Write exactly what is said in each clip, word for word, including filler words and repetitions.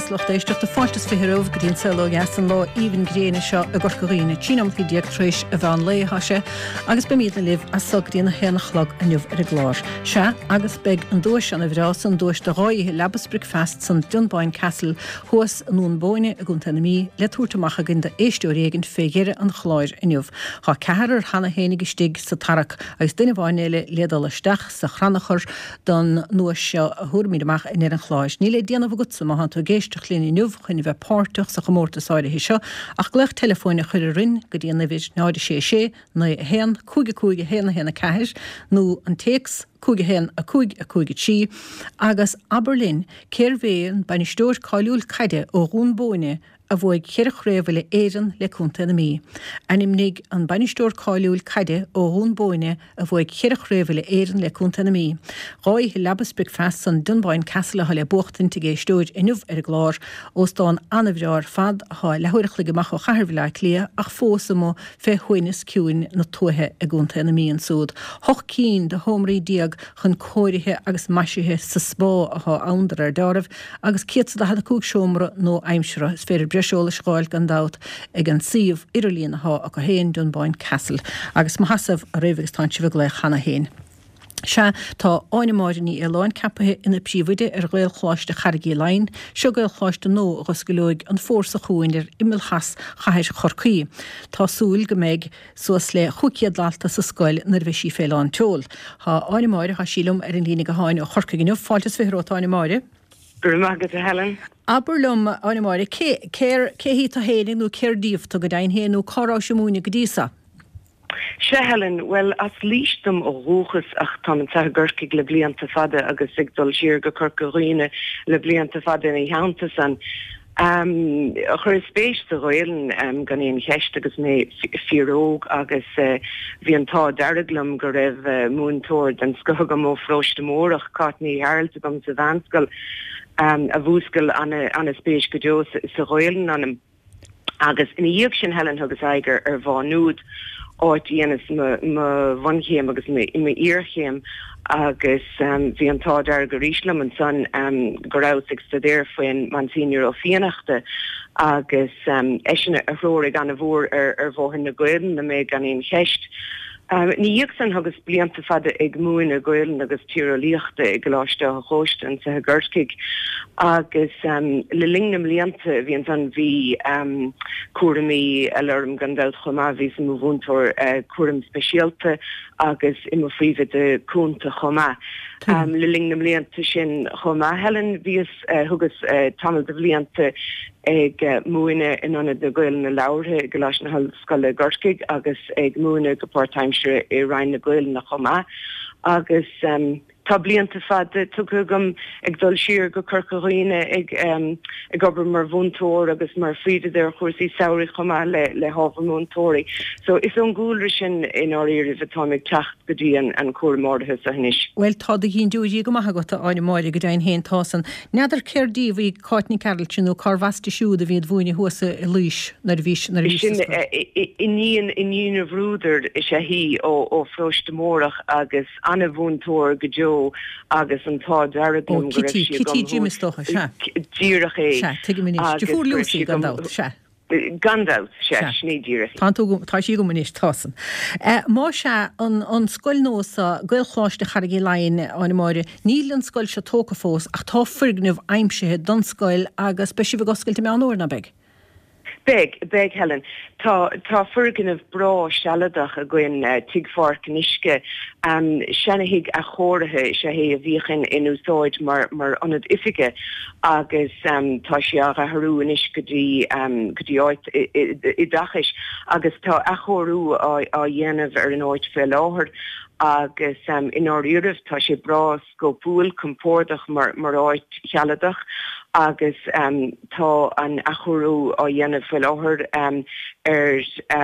agus lucht éisteachta fáilte is fiche romhaibh go dtí an Saol Ó Dheas an lá aoibhinn gréine seo i gCorca Dhuibhne. Trí nóiméad déag tar éis an mheán lae atá sé agus beimidne libh as so go dtí an haon a chlog inniu ar an gclár. Sea, agus beidh an duais ana bhreá san duais de dhá oíche leaba is bricfeasta san Dunboyne Castle thuas i nDún Bóinne i gContae na Mí le tabhairt amach againn d'éisteoir éigin fé dheireadh an chláir inniu. Tá ceathrar cheana féinig istigh sa tarrac agus duine amháin eile le dul isteach sa chrannchur don nduais seo a thabharfaimid amach i ndeireadh an chláir. Níl le déanamh agatsa má tá tú ag éisteacht linn inniu chun bheith páirteach sa chomórtas áirithe seo ach glaoch teileafóin a chur orainn go dtí an uimhir náid sé sé naoi a haon cúig a cúig a haon a haon a ceathair nó an téacs cúig a haon a cúig a cúig a trí agus abair linn cérbh é an bainisteoir cáiliúil caide ó Dhún Bóinne a bhuaigh ceithre chraobh uile Éireann le Contae na Mí. Ainmnigh an bainisteoir cáiliúil caide ó Dhún Bóinne a bhuaigh ceithre chraobh uile Éireann le Contae na Mí. Dhá oíche leaba is bricfeasta san Dunboyne Castle atá le buachtaint ag éisteoir inniu ar an gclár, óstán an-bhreá ar fad atá leathuair a chloig amach ó chathair Bhaile Átha Cliath ach fós amuigh fé shuaimhneas ciúin na tuaithe i gContae na Mí ansúd. Hocht cinn de sheomraí déag chun cóirithe agus maisithe sa spá atá ann de réir dealraimh agus céad is daichead a cúig seomra nua-aimseartha. Is féidir breis eolais a fháil gan dabht ag an suíomh idirlín atá acu féin, Dunboyne Castle. Agus mo sheasamh oraibh agus tánn sibh ag glaoch cheana féin. Sea, tá Áine Máire Ní Fhaoláin ceapaithe ina príomhoide ar Ghaelcholáiste Charraig Uí Leighin. Seo Gaelcholáiste nua a dh'oscaileoidh an fómhar seo chugainn ar imeall theas chathair Chorcaí. Tá súil go mbeidh suas le chúig chéad dalta sa scoil nuair a bheidh sí fé lán tseoil. Tá Áine Máire, tá sí liom ar an líne gutháin ó Chorcaigh inniu. Fáilte is fiche romhat, Áine Máire. Go raibh maith agat, a Helen. Abair liom, Áine Máire, cé, cér, cé hí tú fhéinig nó cér díobh tú go deimhin féin nó cá rabhais ag múineadh go dtí so? Sea, Helen, bhuel, as Laois dom ó dhúchas ach táim anseo i gCorcaigh le blianta fada agus ag dul siar go Corca Dhuibhne le blianta fada ina theannta san. Chuireas spéis sa Ghaelainn gan aon cheist agus mé fíoróg agus bhí an t-ádh dearg liom go raibh múinteoir den scoth agam ó Pharóiste Mórdhach, Cáit Ní Ghearailt agam sa mheánscoil a mhúscail ana-spéis go deo sa Ghaelainn ionam. Agus ina dhiaidh sin, Helen, thugas aghaidh ar Mhá Nuad, áit a dheineas mo bhunchéim agus m'iarchéim agus bhí an t-ádh dearg arís liom ansan go rabhas ag staidéar faoin Monsignor Ó Fiannachta agus eisean a threoraigh ana-mhór ar bhóthar na Gaelainne mé gan aon cheist. Ina dhiaidh san thugas blianta fada ag múineadh Gaelainne agus Tíreolaíochta i gColáiste Átha Chóiste anseo i gCorcaigh agus le linn na mblianta a bhí ansan bhí cúraimí eile orm gan dabht chomh maith, bhíos i mo mhúinteoir cúraim speisialta agus i mo phríomhoide cúnta chomh maith. Le linn na mblianta sin chomh maith, Helen, bhíos, thugas tamall de bhlianta ag múineadh in Ionad na Gaelainne Labhartha i gColáiste na hOllscoile i gCorcaigh agus ag múineadh go páirtaimseartha i Roinn na Gaelainne chomh maith agus tá blianta fada tugtha agam ag dul siar go Corca Dhuibhne ag ag obair mar mhúinteoir agus mar phríomhoide ar chúrsaí samhraidh chomh maith le le hábhar múinteoirí. So is ón gcúlra sin i ndáiríribh atáim ag teacht go dtí an an cúram áirithe seo anois. Bhuel tá do dhindiúirí go maith agat, a Áine Máire, go deimhin féin tá san. N'fheadar cér díobh í Cáit Nic Gearailt nó cárbh aisti siúd a bhí ag múineadh thuas i Laois nuair a bhí nuair a bhí Sin iníon iníon an Bhrúdair is ea í ó ó Pharóiste Mórdhach agus ana-mhúinteoir go deo agus an t-ádh dearg Ó liom go raibh Kitty, sí Kitty agam Jim thuas is dócha, sea. díreach é Sea, tuigim anois. agus Deirfiúr go raibh Lucy sí gan agam dabht, sea. Gan dabht, sea, Sea. sin í díreach. Tá tú agam, tá sí agam anois, tá san. Má sea, an an scoil nua seo, Gaelcholáiste Charraig Uí Leighin, Áine Máire, níl an scoil seo tógtha fós ach tá foirgneamh aimsithe don scoil agus beidh sibh ag oscailt i Meán Fhómhair, ná beidh? Beidh, beidh, Helen. Tá, tá foirgneamh breá sealadach againn, Tigh Pháirc an Uisce. Seana-thigh athchóirithe is ea é a bhíodh in, in úsáid mar, mar ionad oifige agus tá sé á athrú anois go dtí, go dtí áit oideachais agus tá athchóiriú á, á dhéanamh ar an áit fé láthair agus i ndáiríribh tá sé breá scópúil, compordach mar, mar áit shealadach agus tá an athchóiriú á dhéanamh faoi láthair ar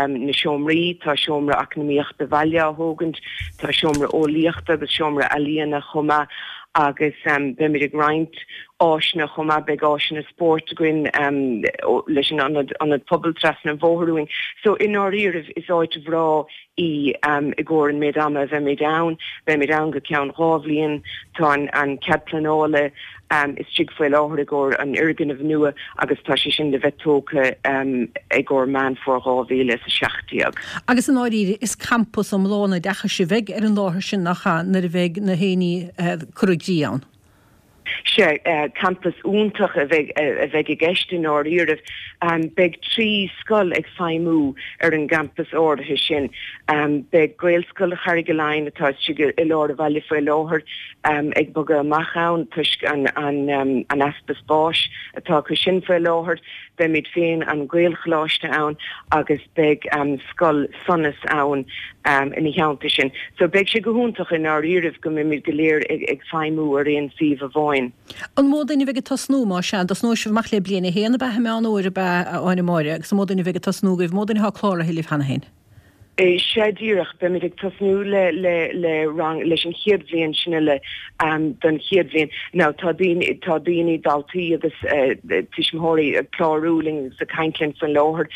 na seomraí, tá seomra eacnamaíochta bhaile á thógaint, tá seomra eolaíochta agus seomra ealaíona chomh maith agus beimid ag roinnt áiseanna chomh maith, beidh áiseanna spóirt againn leis an ionad, ionad pobail trasna an bhóthair uainn. So i ndáiríribh is áit bhreá í i gcomhair an méid ama a bheimid ann. Beimid ann go ceann dhá bhliain, tá an cead pleanála istigh faoi láthair i gcomhair an fhoirgnimh nua agus tá sé sin le bheith tógtha i gcomhair Meán Fómhair dhá mhíle is a seacht déag. Agus i ndáiríre, is campas iomlán oideachais a bheidh ar an láthair sin, nach ea, nuair a bheidh na haon ní curtha i gcrích ann? Sea, campas iontach a bheidh a bheidh i gceist i ndáiríribh. Beidh trí scoil ag feidhmiú ar an gcampas áirithe sin. Beidh Gaelscoil Charraig Uí Leighin, atá istigh i lár an bhaile faoi láthair, ag bogadh amach ann toisc an an easpa spáis atá acu sin faoi láthair. Beimid féin, an Gaelcholáiste ann agus beidh Scoil Sonas ann ina theannta sin. So beidh sé go hiontach i ndáiríribh go mbeimid go léir ag feidhmiú ar aon suíomh amháin. An mó duine a bheidh ag tosnú, más ea? An dtosnóidh sibh amach le bliain a haon ab ea i Meán Fhómhair ab ea, a Áine Máire, agus an mó duine a bheidh ag tosnú agaibh, an mó duine atá cláraithe libh cheana féin? Sea díreach, beimid ag tosnú le le le rang leis an chéad bhliain sin uile don chéad bhliain. Now tá daoine tá daoine, daltaí agus tuismitheoirí ag clárú linn agus ag caint linn faoin láthair.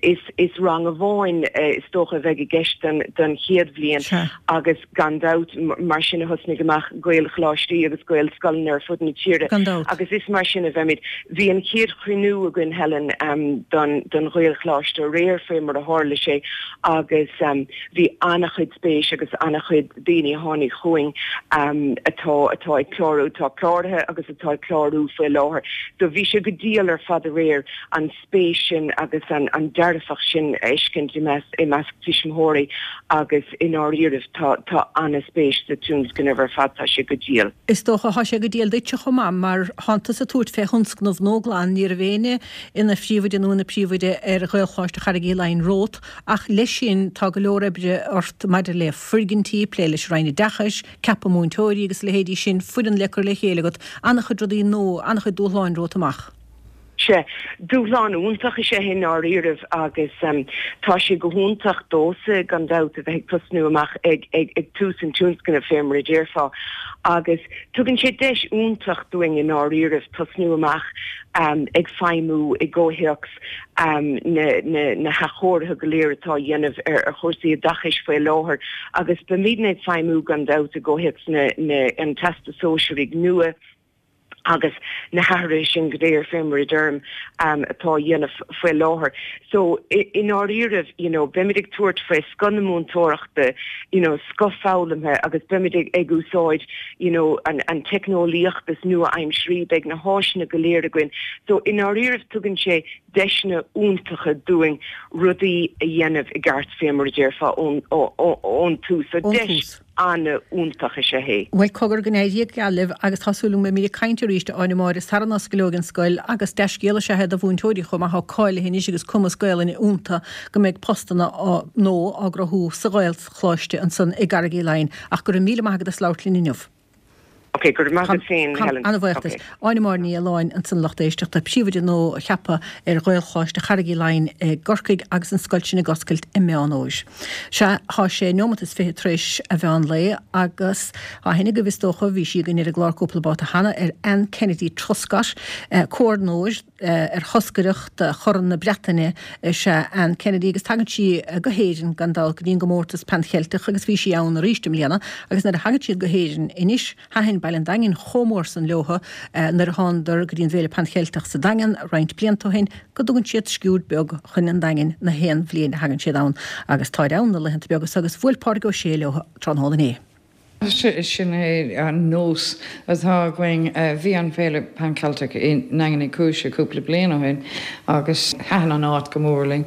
Is is rang amháin is dócha a bheidh i gceist don don chéad bhliain agus gan dabht mar sin a thosnaigh amach Gaelcholáistí agus Gaelscoileanna ar fud na tíre agus is mar sin a bheimid. Bhí an chéad chruinniú againn Helen don don Ghaelcholáiste aréir faoi mar a tharla sé agus bhí an-chuid spéis agus an-chuid daoine a tháinig chugainn atá atá ag clárú, atá cláraithe agus atá ag clárú faoi láthair. So bhí sé go diail ar fad aréir an spéis sin agus an an dearfacht sin a fheiscint i measc i measc tuismitheoirí agus i ndáiríribh tá tá an-spéis sa tionscnamh ar fad, tá sé go diail. Is dócha, tá sé go diail duitse chomh maith mar thánn tusa ag tabhairt fé thionscnamh nua glan, ní raibh éinne ina phríomhoide nó ina príomhoide ar Ghaelcholáiste Charraig Uí Leighin romhat ach leis sin tá go leor oibre ort maidir le foirgintí, plé leis an Roinn Oideachais, ceapadh múinteoirí agus a leithéidí sin, foireann le cur le chéile agat, an-chuid rudaí nua, an-chuid dúshláin romhat amach. Sea, dúshlán iontach is ea é i ndáiríribh agus tá sé go hiontach domhsa gan dabht a bheith ag tosnú amach ag ag tús an tionscnaimh fé mar a déarfá agus tugann sé deis iontach dúinn i ndáiríribh tosnú amach ag feidhmiú i gcomhthéacs na hathchóirithe go léir atá á dhéanamh ar chúrsaí oideachais faoi láthair agus beimidne ag feidhmiú gan dabht i gcomhthéacs an Teastais Sóisearaigh nua agus na hathruithe sin go léir fé mar a deirim atá á dhéanamh faoi láthair. So i ndáiríribh you know beimid ag tabhairt faoi scoth na múinteoireachta you know scoth foghlamtha agus beimid ag úsáid you know an an teicneolaíocht is nua-aimsirí, beidh na háiseanna go léir againn. So i ndáiríribh tugann sé deiseanna iontacha dúinn rudaí a dhéanamh i gceart fé mar a déarfá ón ón tús. So deis an-iontach is ea é. Bhuel cogar go n-éirí geal libh agus tá súil agam go mbeimid ag caint arís a Áine Máire sara n-osclóidh an scoil agus dea-scéal is ea é do mhúinteoirí chomh maith atá cáilithe anois agus cumas Gaelainne iontu go mbeidh postanna nua á gcruthú sa Ghaelcholáiste ansan i gCarraig Uí Leighin ach go raibh míle maith agat as labhairt linn inniu. Ok, go raibh maith agat féin, Helen. An-bhuíoch duit. Áine Máire Ní Fhaoláin ansan lucht éisteachta, príomhoide nua ceaptha ar Ghaelcholáiste Charraig Uí Leighin i gCorcaigh agus an scoil sin ag oscailt i Meán Fhómhair. Sea, thá sé neomat is fiche tar éis a mheán lae agus tá aithne agaibh is dócha, bhí sí againn ar an gclár cúpla babhta cheana, ar Anne Kennedy Truscott, comhordnóir, ar thoscaireacht Chorn na Breataine is ea Anne Kennedy agus tagann sí go hÉirinn gan dabht go dtí an gcomórtas Pan Cheilteach agus bhí sí ann arís i mbliana agus nuair a thagann siad go hÉirinn anois thaitin baile an Daingin chomh mór san leotha nuair a thánadar go dtí an bhFéile Pan Cheilteach sa Daingean roinnt blianta ó shin go dtugann siad sciúird beag chun an Daingin na haon bhliain a thagann siad ann agus táid ann na laethanta beaga so agus bhuail Pádraig Ó Sé leo tráthnóna inné. Sin é an nós atá againn. Bhí an Féile Pan Celtic i nDaingean Uí Chúis cúpla bliain ó shin agus thaitin an áit go mór linn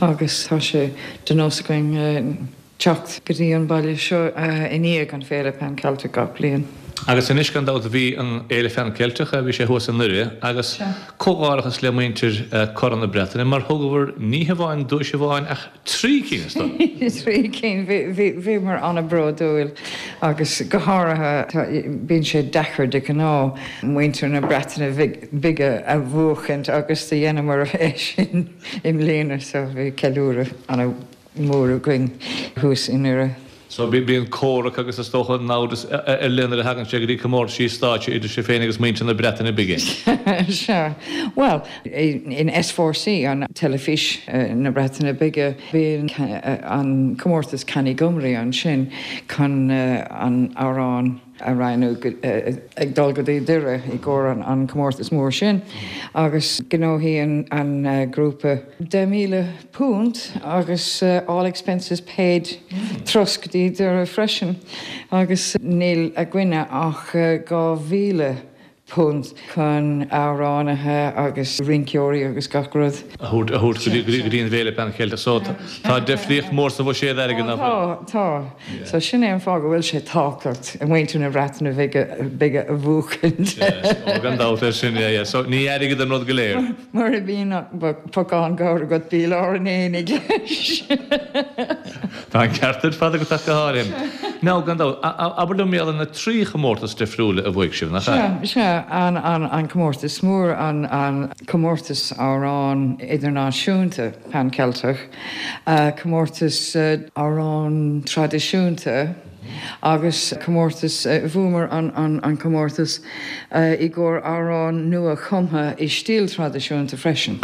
agus tá sé de nós againn teacht go dtí an baile seo i ndiaidh an Féile Pan Celtic gach bliain. Agus anois gan dabht bhí an Fhéile Phan Ceilteach, bhí sé thuas i nDoire agus comhghairdeachas le muintir Corn na Breataine mar thugabhair ní hamháin duais amháin ach trí cinn is dóigh. Trí cinn, bhíomar an-bhródúil agus go háirithe bíonn sé deacair de ghnáth muintir na Breataine Bige a bhuachaint agus do dheineamar é sin i mbliana so bhí ceiliúradh an-mhór againn thuas i nDoire. So bíonn comhrac agus is dócha namhdas ar leith nuair a thagann sé go dtí comórtaisí stáitse idir sibh féin agus muintir na Breataine Bige. Sea. Bhuel, in S four C, an teilifís na Breataine Bige, bíonn an comórtas Cân i Gymru ansin chun an amhrán a roghnú ag dul go dtí Doire i gcomhair an comórtas mór sin agus ghnóthaigh an grúpa deich míle punt agus all expenses paid turas go dtí Doire freisin agus níl againne ach dhá mhíle punt chun amhránaithe agus rinceoirí agus gach rud. A thabhairt go dtí an bhFéile Pan Cheilteach. So tá difríocht mór sa bhuiséad airgid nach bhfuil? Tá, tá. So sin é an fáth go bhfuil sé tábhachtach muintir na Breataine Bige a bhuachaint. Ó gan dabht air sin, yeah, yeah. So ní airgead an rud go léir. Mura mbíonn ach pocán gabhair agat bí i lár an aonaigh leis. Tá an ceart ar fad agat ach go háirithe. Now, gan dabht, abair liom mar gheall ar na trí chomórtas difriúla a bhuaigh sibh, nach ea? Sea, sea, an, an, an comórtas mór, an, an comórtas amhrán idirnáisiúnta Pan Ceilteach, comórtas amhrán traidisiúnta agus comórtas, bhuamar an, an, an comórtas i gcomhair amhrán nua-chumtha i stíl traidisiúnta freisin.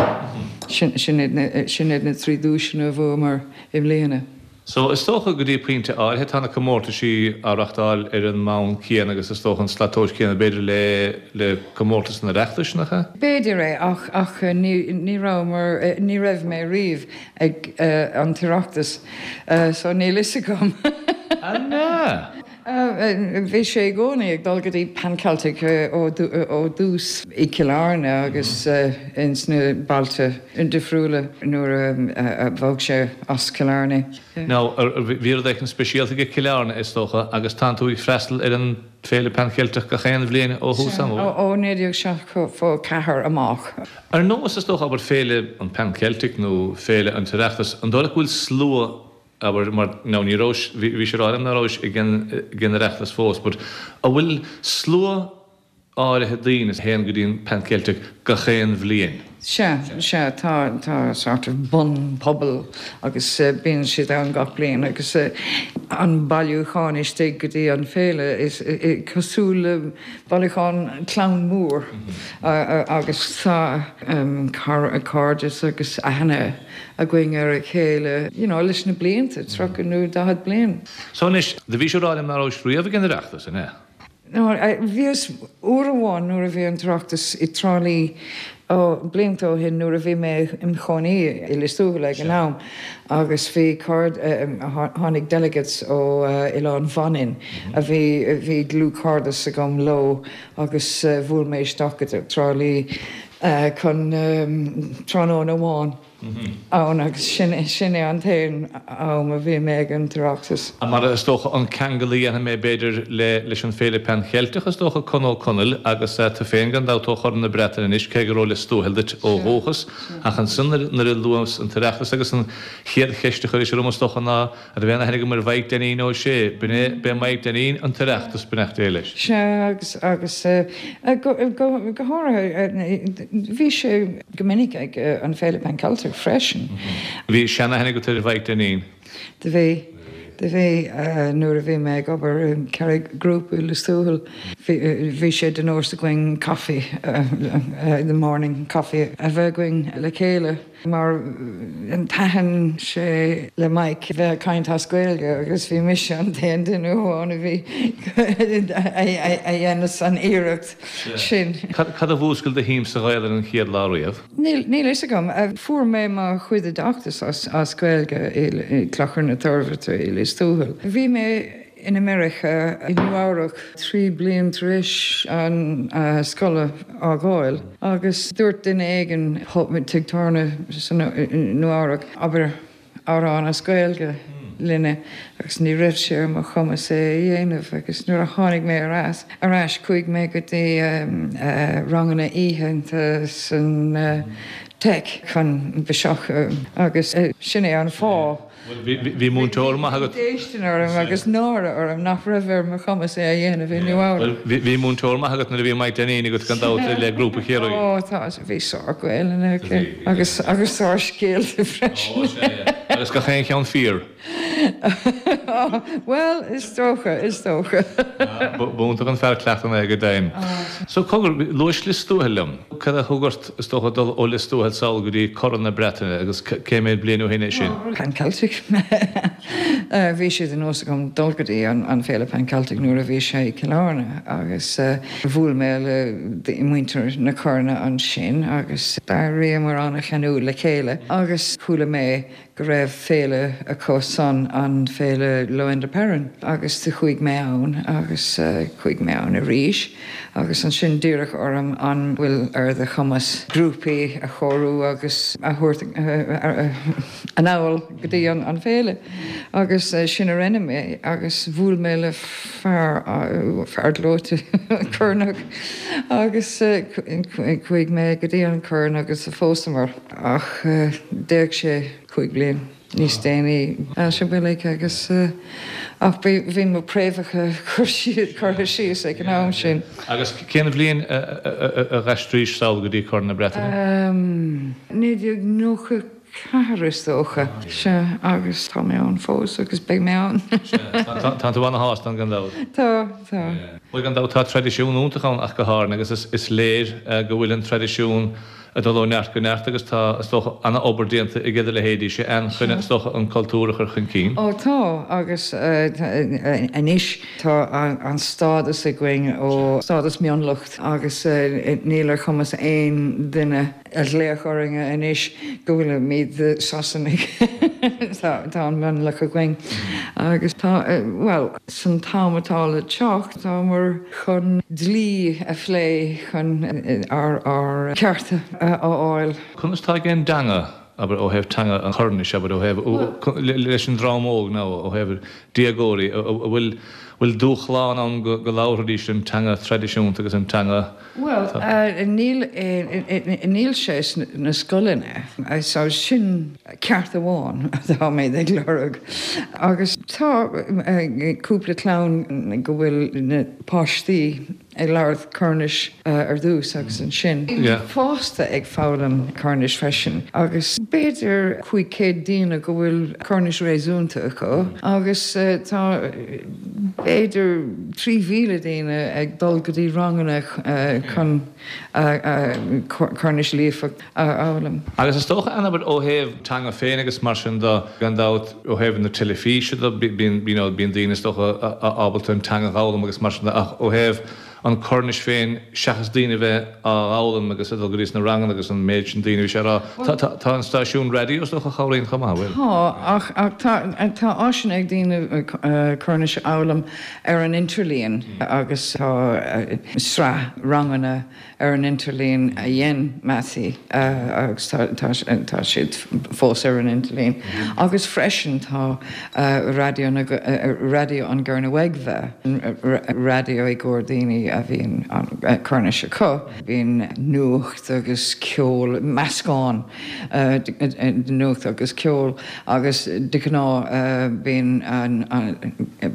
Sin, sin iad na, sin iad na trí duaiseanna a bhuamar i mbliana. So, is dócha go dtí pointe áirithe tá na comórtaisí á reachtáil ar an mbonn céanna agus is dócha an slat tomhais céanna b'fhéidir le le comórtas an Oireachtais, nach ea? B'fhéidir é ach ach ní ní rabhamar ní raibh mé riamh ag an tOireachtas so níl fhios agam. An ea? Bhí sé i gcónaí ag dul go dtí Pan Celtic ó dtús i gCill Airne agus ins na bailte difriúla nuair a bhog sé as Cill Airne. Now, bhí rud éicint speisialta ag Cill Airne is dócha agus tánn tú ag freastal ar an Féile Pan Cheilteach gach aon bhliain ó thús ama, bhfuil? Ó naoi déag seachtó ceathair amach. Ar nós is dócha abair Féile an Pan Celtic nó Féile an tOireachtas, an dóigh leat go bhfuil slua abair, mar, now ní rabhais, bhí, bhís ag rá liom ná rabhais ag an, ag an Oireachtas fós, but an bhfuil slua áirithe daoine a théann go dtí an Pan Celtic gach aon bhliain? Sea, sea, tá, tá sort of bunphobal agus bíonn siad ann gach bliain agus an bailiúchán istigh go dtí an féile is cosúil le bailiúchán clann mór agus tá cairdeas agus aithne againn ar a chéile, you know, leis na blianta, tríocha nó daichead bliain. So anois, do bhís ag rá liom ná rabhais riamh ag an Oireachtas, an ea? No, bhíos uair amháin nuair a bhí an tOireachtas i dTrá Lí, ó, blianta ó shin nuair a bhí mé im chónaí i Lios Tuathail ag an am agus bhí cairde, tháinig delegates ó Oileán Mhanainn a bhí, bhí dlúthchairdeas agam leo agus bhuail mé isteach go Trá Lí chun tráthnóna amháin ann agus sin sin é an t-aon am a bhí mé ag an tOireachtas. Mar is dócha an ceangal a dhéanfaidh mé b'fhéidir le leis an Féile Pan Cheilteach is dócha Con Ó Conaill agus tú féin gan dabht ó Chorn na Breataine anois cé gur ó Lios Tuathail duit ó dhúchas ach ansan nuair a luas an tOireachtas agus an chéad cheist a chuiris orm is dócha ná An raibh aon aithne agam ar Mhaidhc Dainín Ó Sé? B'in é, b'é Maidhc Dainín an tOireachtas, beannacht Dé leis. Sea, agus, agus go, go, go háirithe, bhí sé go minic ag an Féile Pan Celtic freisin. Bhí seanaithne agat ar Mhaidhc Dainín? Do bhí, do bhí. Nuair a bhí mé ag obair i Carraig Group i Lios Tuathail, bhí, bhí sé de nós againn coffee, the morning coffee a bheith againn le chéile. Mar thaitin sé le Mike bheith ag caint as Gaeilge agus bhí mise an t-aon duine amháin a bhí a dhéanas an iarracht sin. Cad a mhúscail do shuim sa Ghaelainn an chéad lá riamh? Níl fhios agam. Fuair mé mo chuid oideachtais as Gaeilge i gClochar na Toirbhirte i Lios Tuathail. Bhí mé In America, i Nua Eabhrac, trí bliain tar éis an scoil a fhágáil agus dúirt duine éigin tigh tábhairne i Nua Eabhrac, abair amhrán as Gaeilge linne agus ní raibh sé ar mo chumas é a dhéanamh agus nuair a tháinig mé ar ais ar ais chuaigh mé go dtí ranganna oícheanta san Tech chun biseach agus sin é an fáth. Bhuel, bhí múinteoir maith agat. Bhí déistin orm agus náire orm nach raibh ar mo chumas é a dhéanamh i Nua Eabhrac. Bhuel, bhí múinteoir maith agat nuair a bhí Mike Dineen agat gan dabht le Grúpa Chiarraí. Ó, tá, bhí sár-Ghaelainn aici agus agus sár-scéalta freisin. Ó, sea, yeah. Agus gach aon cheann fíor. Bhuel, is dócha, is dócha. B'iontach an fear cleachtann é go deimhin. So cogar, luais Lios Tuathail liom. Cad a thug ort, is dócha, dul ó Lios Tuathail sall go dtí Corn na Breataine agus cé mhéad bliain ó shin é sin? Pan Celtic. Bhí sé de nós agam dul go dtí an Féile Pan Celtic nuair a bhí sé i gCill Airne agus bhuail mé le muintir na Coirne ansin agus d'éiríomar an-cheanúil le chéile agus chuala mé go raibh féile acu san, an féile Lowender Peran, agus do chuaigh mé ann agus chuaigh mé ann arís agus ansin d'iarradh orm an bhfuil ar do chumas grúpaí a chóiriú agus a thabhairt anall go dtí an féile agus sin a rinne mé agus bhuail mé le fear, fear gleoite Coirneach agus chuaigh mé go dtí an Chorn agus phósamar ach d'éag sé cúig bliain níos déanaí. Sin uilig agus ach bhí mo préamhacha curtha síos ag an am sin. Agus cén bhliain a d'aistrís sall go dtí Corn na Breataine? Naoi déag nócha ceathair is dócha. Sea, agus tá mé ann fós agus beidh mé ann. Tá tú ana-shásta ann gan dabht? Tá, tá. Bhuel gan dabht tá traidisiún iontach ann ach go háirithe agus is léir go bhfuil an traidisiún ag dul ó neart go neart agus tá, is dócha, ana-obair déanta ag do leithéidíse ann chun, is dócha, an cultúr a chur chun cinn. Ó tá, agus anois tá an stádas againn ó stádas mionlach agus níl ar chumas aon duine a ghlaoch orainn anois go bhfuilimid Sasanaigh. Tá an mionlach againn agus tá, bhuel, san t-am atá le teacht, táimid chun dlí a phlé chun ár ár cearta a fháil. Conas tá ag an dteanga, abair, ó thaobh teanga an Choirnis, abair, ó thaobh, leis an dream óg nó ó thaobh déagóirí, an bhfuil, bhfuil dúshlán ann go labharfaidís an teanga traidisiúnta agus an teanga. Bhuel, níl, níl sé sna scoileanna, so sin ceart amháin atáimid ag lorg. Agus tá cúpla clann go bhfuil na páistí ag labhairt Coirnis ar dtús agus ansin fásta ag foghlaim Coirnis freisin agus b'fhéidir cúig chéad daoine go bhfuil Coirnis réasúnta acu agus tá b'fhéidir trí mhíle daoine ag dul go dtí ranganna chun Coirnis líofa a fhoghlaim. Agus is dócha, an abair, ó thaobh teanga féin agus mar sin de, gan dabht, ó thaobh na teilifíse de, bíonn, you know, bíonn daoine is dócha ábalta an teanga a dh'fhoghlaim agus mar sin de ach ó thaobh an Cornais féin seachas daoine a bheith á dh'fhoghlaim agus ag dul go dtí sna ranganna agus an méid sin daoine, bhí sé a rá, tá, tá, tá an stáisiún raidió is dócha a chabhraíonn chomh maith, an bhfuil? Tá, ach, ach tá, tá áiseanna ag daoine Cornais a fhoghlaim ar an interlíon agus tá sraith ranganna ar an interlíon a dhein Mattie agus tá tá siad fós ar an interlíon. Agus freisin tá Raidió na Raidió an Gernowegva, raidió i gcomhair daoine a bhíonn an Cornais acu. Bíonn nuacht agus ceol, meascán de nuacht agus ceol agus de ghnáth bíonn an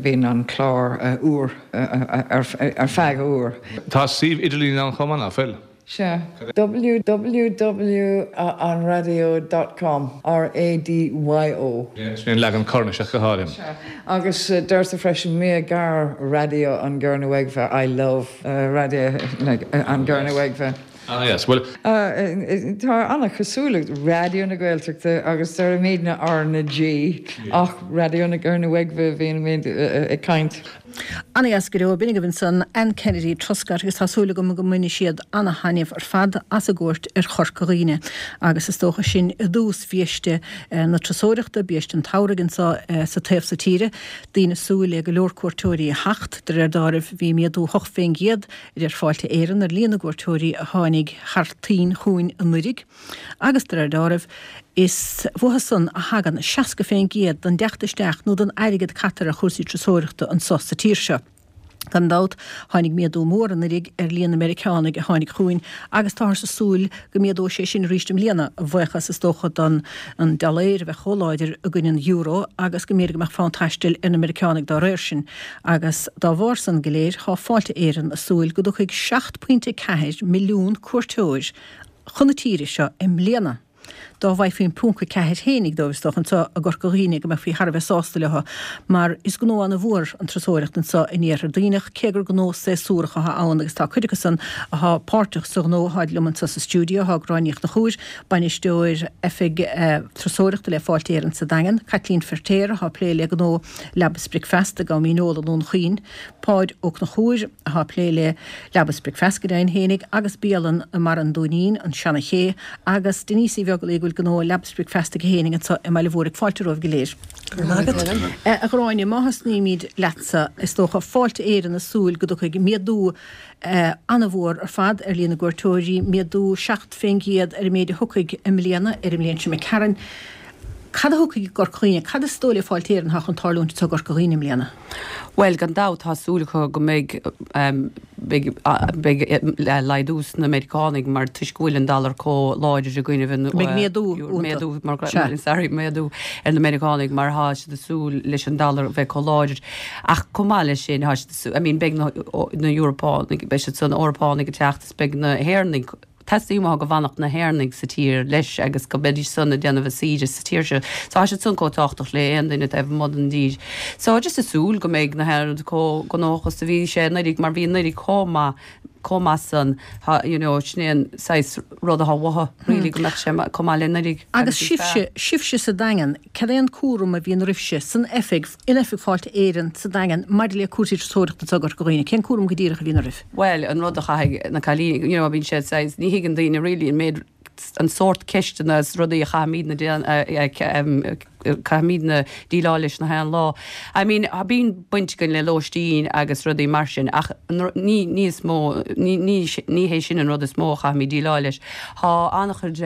bíonn an clár uair ar feadh uair. Tá suíomh idirlín ann chomh maith, nach bhfuil? Sea. www anradio dot com R-A-D-Y-O. Sin an leagan Cornais ach go háirithe. Sea. Agus deirtear freisin Me a gar Raidió an Gernowegva I love Raidió an Gernowegva. Ah yes, bhuel. Tá an-chosúlacht Raidió na Gaeltachta agus deirimidne R na G ach Raidió na Gernowegva a bhíonn ag caint. Ana-dheas go deo, b'in agaibh ansan Anne Kennedy Truscott agus tá súil agam go mbainfidh siad ana-thaitneamh ar fad as a gcuairt ar Chorca Dhuibhne agus is dócha sin i dtús biaiste na turasóireachta, biaiste an tsamhraidh anso sa taobh so tíre. Daoine ag súil le go leor cuairteoirí a theacht. De réir dealraimh bhí méadú hocht fén gcéad a deir Fáilte Éireann ar líon na gcuairteoirí a tháinig thar toinn chugainn anuiridh agus de réir dealraimh is uathu san a thagann seasca fén gcéad den dteacht isteach nó den airgead a caitear ar chúrsaí turasóireachta anso sa tír seo. Gan dabht, tháinig méadú mór anuiridh ar líon na Meiriceánaigh a tháinig chugainn agus táthar ag súil go méadóidh sé sin arís i mbliana, a bhuíochas is dócha don an dollaer a bheith chomh láidir i gcoinne an euro agus go mb'fhéidir go mbeadh fonn taistil ar na Meiriceánaigh dá réir sin. Agus dá bharr san go léir, tá Fáilte Éireann ag súil go dtiocfaidh seacht pointe ceathair milliún cuairteoir chun na tíre seo i mbliana. dá bhfaighfí an ponc a ceathair fhéinig dóibh is dócha anseo i gCorca Dhuibhne go mbeifí thar a bheith sásta leo mar is gnó ana-mhór an turasóireacht anseo in Iarthar Duibhneach cé gur gnó séasúrach atá ann agus tá cuid acusan atá páirteach sa ghnó atá liom anseo sa stiúideo tá Gráinne Ní Chonchúir, Bainisteoir Oifig Turasóireachta le Fáilte Éireann sa Daingean, Caitlín Feirtéar atá ag plé le gnó Leaba 's Bricfeasta i gCom Míneola i nDún Chaoin, Páid Ó Conchúir atá ag plé le Leaba 's Bricfeasta go deimhin fhéinig agus bialann i mBarra an Dúinín, an Seana Ché, agus Denise Uí Bheaglaoich go bhfuil gnó Leaba 's Bricfeasta aici fhéinig anseo i mBaile Mhúirne. Fáilte romhaibh go léir. Go raibh maith agat. A Ghráinne, má thosnaímid leatsa, is dócha, Fáilte Éireann ag súil go dtiocfaidh méadú an-mhór ar fad ar líon na gcuairteoirí, méadú seacht fén gcéad ar an méid a thiocfaidh i mbliana, ar an mbliain seo imigh tharainn. Cad a thiocfaidh i gCorca Dhuibhne? Cad is dóigh le Fáilte Éireann atá chun tarlúint anseo i gCorca Dhuibhne i mbliana? Bhuel, gan dabht tá súil acu go mbeidh beidh beidh laghdú sna Meiriceánaigh mar toisc go bhfuil an dollar chomh láidir i gcoinnibh an Beidh méadú méadú mar sorry méadú ar na Meiriceánaigh mar tá siad ag súil leis an dollar bheith chomh láidir. Ach chomh maith leis sin tá siad ag súil I mean beidh na na Eorpánaigh beidh siad san Eorpánaigh ag teacht is beidh na hÉireannaigh Teastaíonn uathu go bhfanfadh na hÉireannaigh sa tír leis agus go mbeidís san ag déanamh a saoire sa tír seo. So tá siad san chomh tábhachtach le aon duine taobh amuigh den dtír. So just ag súil go mbeidh na hÉireannaigh chomh gnóthach is a bhí sé anuraidh mar bhí anuraidh chomh maith chomh maith san you know sin é an saghas rud atá uathu really go mbeadh sé chomh maith le anuraidh Agus sibhse, sibhse sa Daingean, cad é an cúram a bhíonn oraibhse san oifig, in oifig Fáilte Éireann sa Daingean maidir le cúrsaí turasóireachta anseo i gCorca Dhuibhne? Cén cúram go díreach a bhíonn oraibh? Bhuel, an rud a chaithfidh na cailíní, you know, bíonn sé saghas, ní thuigeann daoine really an méid, an sórt ceisteanna is rudaí a chaithfimidne caithfimidne déileáil leis na haon lá. I mean, bíonn baint againn le lóistín agus rudaí mar sin ach ní, ní is mó, ní, ní, ní hé sin an rud is mó a chaithfimid déileáil leis. Tá an-chuid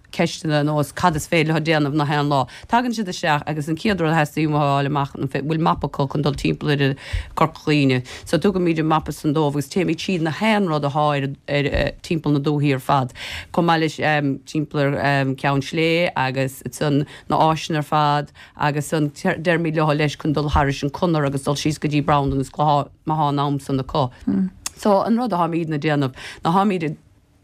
ceisteanna ar nós cad is féidir leo déanamh na haon lá. Tagann siad isteach agus an chéad rud a theastaíonn uathu a fháil amach an bhfuil mapa acu chun dul timpeall ar Chorca Dhuibhne. So tugaimid an mapa san dóibh agus téimid tríd na haon rud athá ar ar timpeall na dúichí ar fad. Chomh maith leis timpeall ar Ceann Slé agus ansan na áiseanna ar fad agus ansan deirimid leo leis chun dul thairis an conair agus dul síos go dtí Brandon is Clochán má thá an am san acu. So an rud atháimidne a déanamh ná tháimid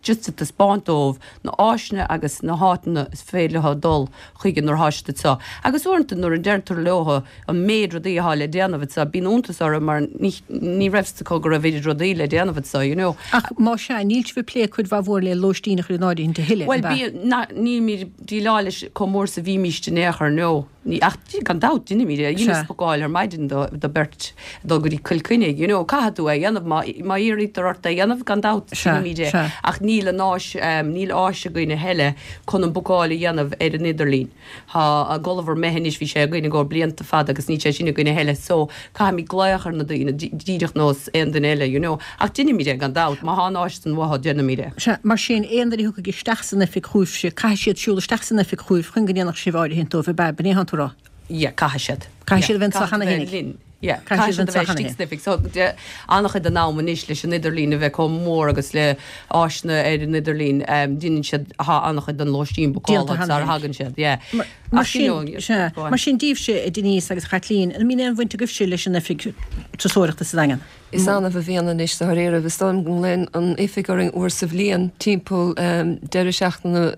just ag taispeáint dóibh na áiseanna agus na háiteanna is féidir leo dul chuige nuair atá siad anseo. Agus uaireanta nuair a deirtear leo an méid rudaí atá le déanamh anseo, bíonn iontas orthu mar ní ní raibh fhios acu go raibh oiread rudaí le déanamh anseo, you know. Ach más ea, níl sibh ag plé cuid mhaith mhór le lóistín a chur in áirithint a thuilleadh, Bhuel, ab ea? bíonn, na, nílimid ag déileáil leis chomh mór is a bhímíst in aon chor, no. Ní, ach gan dabht, deinimid é. Dheineas bookáil ar maidin do, do beirt dul go dtí Cill Chainnigh, you know, caithfidh tú é a dhéanamh má, má iarraítear ort é a dhéanamh, gan dabht, deinimid é. Ach níl an áis, níl áis againn a thuilleadh chun an bookáil a dhéanamh ar an idirlíon. Tá an Gulliver imithe anois, bhí sé againn i gcomhair blianta fada agus níl sé sin againn a thuilleadh so caithfimid glaoch ar na daoine, díreach nós aon duine eile, you know. Ach deinimid é gan dabht, má thá an áis san uathu, deinimid é. Sea, mar sin, aon duine a thiocfaidh isteach san oifig chugaibhse, caithfidh siad siúl isteach san oifig chugaibh chun go ndéanfadh sibh áirithint dóibh, ab ea? B'in é atánn tú a rá? Yeah, caithfidh siad. Caithfidh siad a bheith anseo cheana Caithfidh siad a bheith fhéinig. linn. Yeah, Caithfidh siad caithfidh a siad a bheith bheith anseo cheana istigh féin. san oifig. So, de, an-chuid den am anois leis an idirlíon a bheith chomh mór agus le áiseanna ar an idirlíon, um, deineann siad, thá an-chuid den lóistín Déanta bookáilte cheana sara féinig. thagann siad, yeah. Mar, mar Ach, you sin, know, sea, go on. mar sin daoibhse, a Denise agus a Chaitlín, an mbíonn aon bhaint agaibhse leis an oifig turasóireachta sa Daingean? Is annamh a bhíonn anois dáiríre. Is dóigh liom go nglaonn an oifig orainn uair sa bhliain timpeall deireadh seachtaine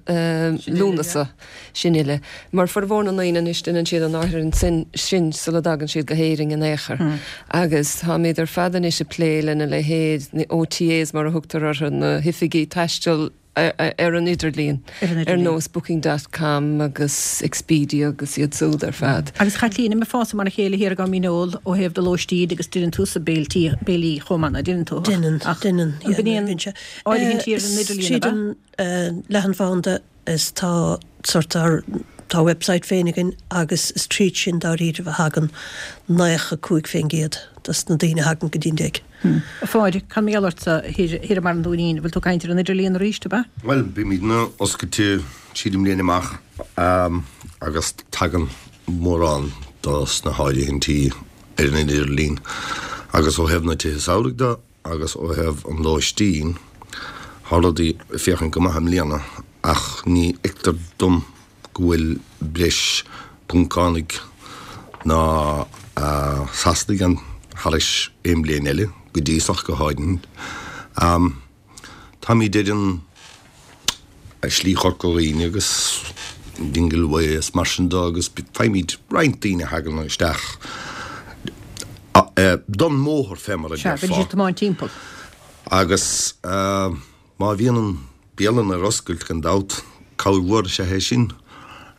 Lúnasa, sin uile. Mar formhór na ndaoine anois déanann siad an áirithint sin sin sula dtagann siad go hÉirinn in aon chor. Agus táimid ar fad anois ag plé lena leithéid, na OTAs mar a thugtar orthu, na hoifigí taistil, ar an idirlíon, ar nós Booking dot com agus Expedia agus iad súd ar fad. Agus Chaitlín, an mbeifeása mar a chéile thiar i gCom Míneol ó thaobh do lóistín agus deineann tusa béiltí, béilí chomh maith, ná deineann tú? Deineann, deineann, yeah. An bíonn áirithintí ar an idirlíon, ab ea? Tríd an leathanbhanda is tá sort ár, tá website féin againn agus is tríd sin dáiríribh a thagann naocha cúig fén gcéad dos na daoine a thagann go dtí'n dtigh. A Pháid, cad mar gheall ortsa thiar i mBarra an Dúinín, bhfuil tú ag caint ar an idirlíon arís, ab ea? Bhuel, bímidne oscailte tríd an mbliain amach agus tagann mórán dos na háirithintí ar an idirlíon agus ó thaobh na tithe samhraidh de agus ó thaobh an lóistín, tá rudaí ag féachaint go maith i mbliana ach ní fheictear dom go bhfuil breis Poncánaigh ná Sasanaigh ann thairis aon bhliain eile, go dtí so ach go háirithe. Táimid ar an Slí Chorca Dhuibhne agus Dingle Way is mar sin de agus faighimid roinnt daoine a thagann isteach don mbóthar fé mar a Sea, déarfá. bíonn siad tiomáint timpeall. Agus má bhíonn an bialann ar oscailt gan dabht, cabhair mhór is ea é sin.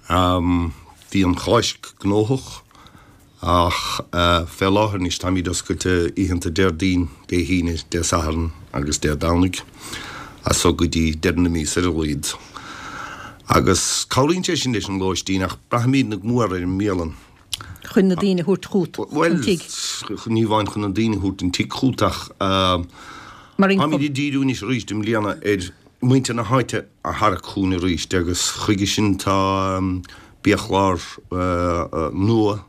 Bhí an Cháisc gnóthach ach fé láthair anois táimid oscailte oícheanta Déardaoin, Dé hAoine, Dé Sathairn agus Dé Domhnaigh as so go dtí deireadh na míosa ar a laghad. Agus cabhraíonn sé sin leis an lóistín ach braithimidne go mór ar an mbialann. Chun na daoine a thabhairt chugat Bhuel, an tigh. ní amháin chun na daoine a thabhairt an tigh chugat ach Mar income. táimid ag díriú anois arís i mbliana ar muintir na háite a tharrac chugainn arís agus chuige sin tá biachlár nua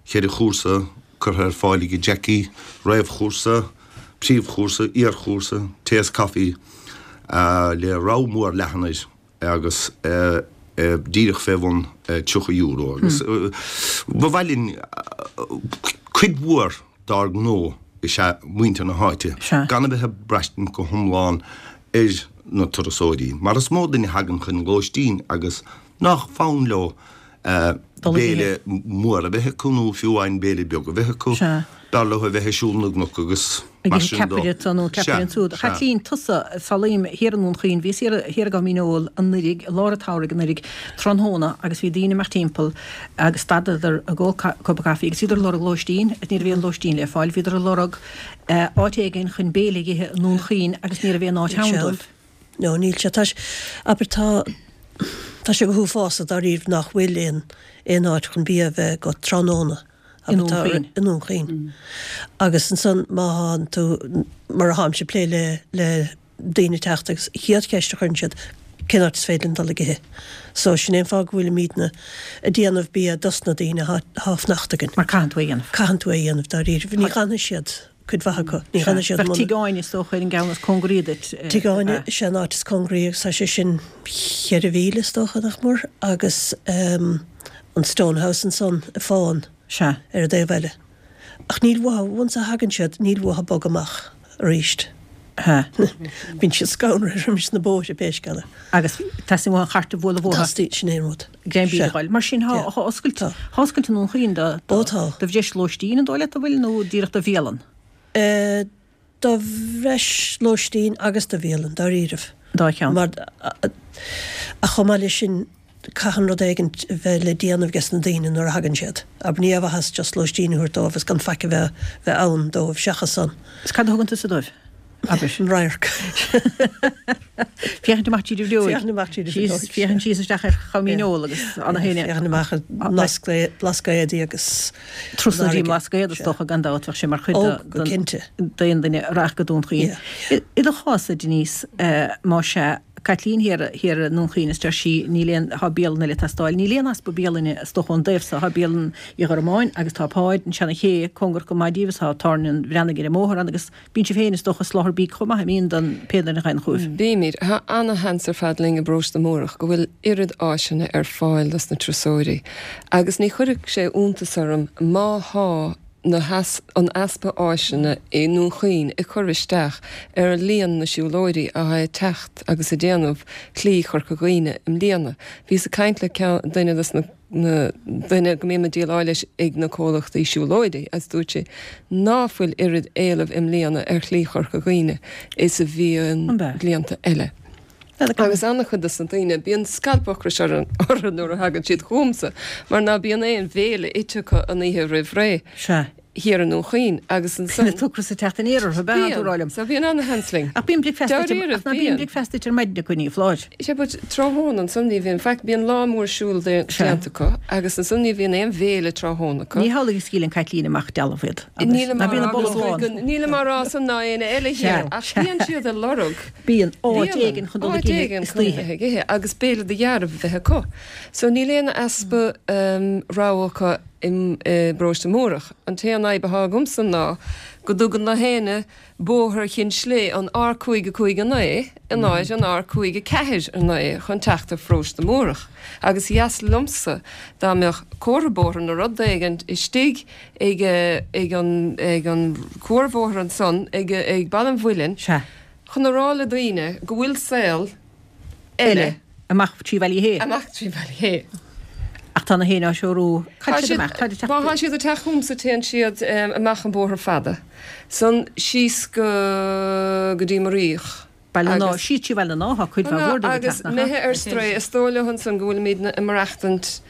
cheithre chúrsa curtha ar fáil ag Jackie, réamhchúrsa, príomhchúrsa, iarchúrsa, tae is caife, le rogha mór leathan air agus díreach fé bhun tríocha euro agus ba mhaith linn cuid mhór dár ngnó is ea muintir na háite, gan a bheith ag braistint go hiomlán ar na turasóirí, mar is mó duine a thagann chun lóistín agus nach fonn leo béile mór a bheith acu nó fiú amháin béile beag a bheith acu. B'fhearr leo a bheith ag siúl na gcnoc agus Ag mar ithe sin dó. ceapaire anso nó ceapaire Sea, ansúd. sea. Chaitlín, tusa, samhlaím, thiar i nDún Chaoin, bhíos thiar, thiar i gCom Ól anuiridh, i lár an tsamhraidh anuiridh, tráthnóna agus bhí daoine ag imeacht timpeall agus stadadar ag ól cupa caife agus bhíodar ag lorg lóistín, ní raibh aon lóistín le fáil, bhíodar ag lorg áit éigin chun béile a ithe i nDún Chaoin agus ní raibh aon áit ann dóibh. No, níl sé. Tá sé, abair, tá, tá sé go huafásach dáiríre nach bhfuil aon, aon áit chun bia a bheith agat tráthnóna. I Abair, nDún tá, Chaoin. i nDún Chaoin. Agus ansan má thánn tú, mar a tháimse ag plé le, le daoine ag teacht agus chéad cheist a chuireann siad, cén áit is féidir linn dul ag ithe? So sin é an fáth go bhfuilimidne ag déanamh bia dos na daoine athá, athá ag fanacht againn. Mar caitheann tú é a dhéanamh. Caitheann tú é a dhéanamh dáiríre. Ní fhanfaidh siad. cuid mhaith acu. Ní fhanfaidh siad Bheadh Tigh Áine is dócha ar an gceann is cóngaraí duit. Tigh Áine is ea an áit is cóngaraí agus tá sé sin cheithre mhíle is dócha, nach mór, agus an Stone House ansan i Fán Sea. ar an dtaobh eile. Ach níl uathu, once a thagann siad, níl uathu bogadh amach arís. Sea. Bíonn siad scanraithe roimis na bóithre pé scéal é. Agus teastaíonn uathu an chairt a bhualadh uathu. Teastaíonn, sin é an rud. Greim bídh Sea. a fháil. Mar sin, thá Yeah. thá oscailt, Tá. thá oscailt i nDún Chaoin do, do, Ó tá. do bhreis lóistín an dóigh leat a bhfuil nó díreach do bhialann? Eh, do bhreis lóistín agus do bhialann, dáiríribh. Dá cheann. Mar, ach chomh maith leis sin, caitheann rud éigin a bheith le déanamh ages na daoine nuair a thagann siad. Abair, ní aon mhaitheas just lóistín a thabhairt dóibh is gan faic a bheith, bheith ann dóibh seachas san. Is cad a thugann tusa dóibh? Abair. An radharc. Féachaint amach tríd an bhfuinneog. Féachaint amach tríd an Síos, bhfuinneog. féachaint síos isteach ar Chom Dhíneol agus Anna Héine. Féachaint amach ar an mBlascaod, Blascaodaí agus Trasna an dtí fharraige. mBlascaod is dócha gan dabht bheadh sé mar chuid Ó, de- go den- cinnte. d'aon duine a rachadh go Dún Chaoin. Yeah. I i do chás, a Denise, eh, más ea, Caitlín thiar thiar i nDún Chaoin is deir sí níl aon, thá bialann eile ag teastáil. Níl aon easpa bialainne is dócha ón dtaobh so. Thá bialann Uí Ghormáin agus tá Páid, an Seana-Ché, cóngarach go maith díbh is thá Tábhairne an Bhreathnaigh ar an mbóthar ann agus bíonn sibh féin is dócha ag soláthar bídh chomh maith, an mbíonn, don pé duine a thagann chugaibh. Bímid. Thá ana-sheans ar fad linn i bParóiste Múrach go bhfuil oiread áiseanna ar fáil dos na turasóirí agus ní chuirfeadh sé iontas orm má thá na has, an easpa áiseanna i nDún Chaoin ag cur isteach ar líon na siúlóirí atá ag teacht agus ag déanamh Shlí Chorca Dhuibhne i mbliana. Bhíos ag caint le ceann, duine dos na, na, duine go mbím ag déileáil leis ag na comhlachtaí siúlóidí agus dúirt sé ná fuil oiread éileamh i mbliana ar Shlí Chorca Dhuibhne is a bhí An b'ea? blianta eile. Agus an-chuid dos na daoine, bíonn scailp ocrais orthu nuair a thagann siad chugamsa, mar ná bíonn aon bhéile ite acu an oíche roimh ré. Sea. Thiar i nDún Chaoin agus ansan. Bíonn an t-ocras ag teacht aniar orthu, b'ea, Bíonn. tú rá liom. So bíonn ana-sheans linn. Ach bíonn bricfeasta ite, Dáiríre, ach ná bíonn bíonn. bricfeasta ite ar maidin acu, ní foláir. Sea, but tráthnóna ansan ní bhíonn faic, bíonn lá mór siúil Sea. déanta acu agus ansan ní bhíonn aon bhéile tráthnóna acu. Ní hamhlaidh a scaoileann Caitlín amach dealbh iad, abair. Nílim Ná á bíonn rá a boladh go lán. Nílim á rá san ná éinne eile Sea, thiar, ach sea. bíonn siad ag lorg. Bíonn áit Bíonn éigin chun dul áit ag ithe éigin istoíche. chun a bheith ag ithe agus béile de dhearbh a bheith acu. So níl aon easpa rogha acu i bParóiste Múrach. An t-aon fhadhb atá agamsa ná go dtugann na héinne bóthar Chinn Slé an R cúig a cúig a naoi in áit an R cúig a ceathair a naoi chun teacht ar Pharóiste Múrach. Agus dheas liomsa dá mbeadh comhartha bóthair nó rud éigin istigh ag ag an ag an cuarbhóthar ansan ag ag Baile an Mhuilinn Sea. chun a rá le daoine go bhfuil saol eile Eile Amach trí Bhaile Uí Shé. Amach trí Bhaile Uí Shé. Ach tá na héin á threorú. Cá siad amach? Tá siad Má tá siad ag teacht chugamsa téann siad amach an bóthar fada san síos go go dtí Muiríoch. Baile an Átha, síos trí Bhaile an Átha, cuid mhaith mhór díobh ag Agus teacht, nach imithe ea? ar strae, is dóigh leo ansan go bhfuilimidne ag maireachtaint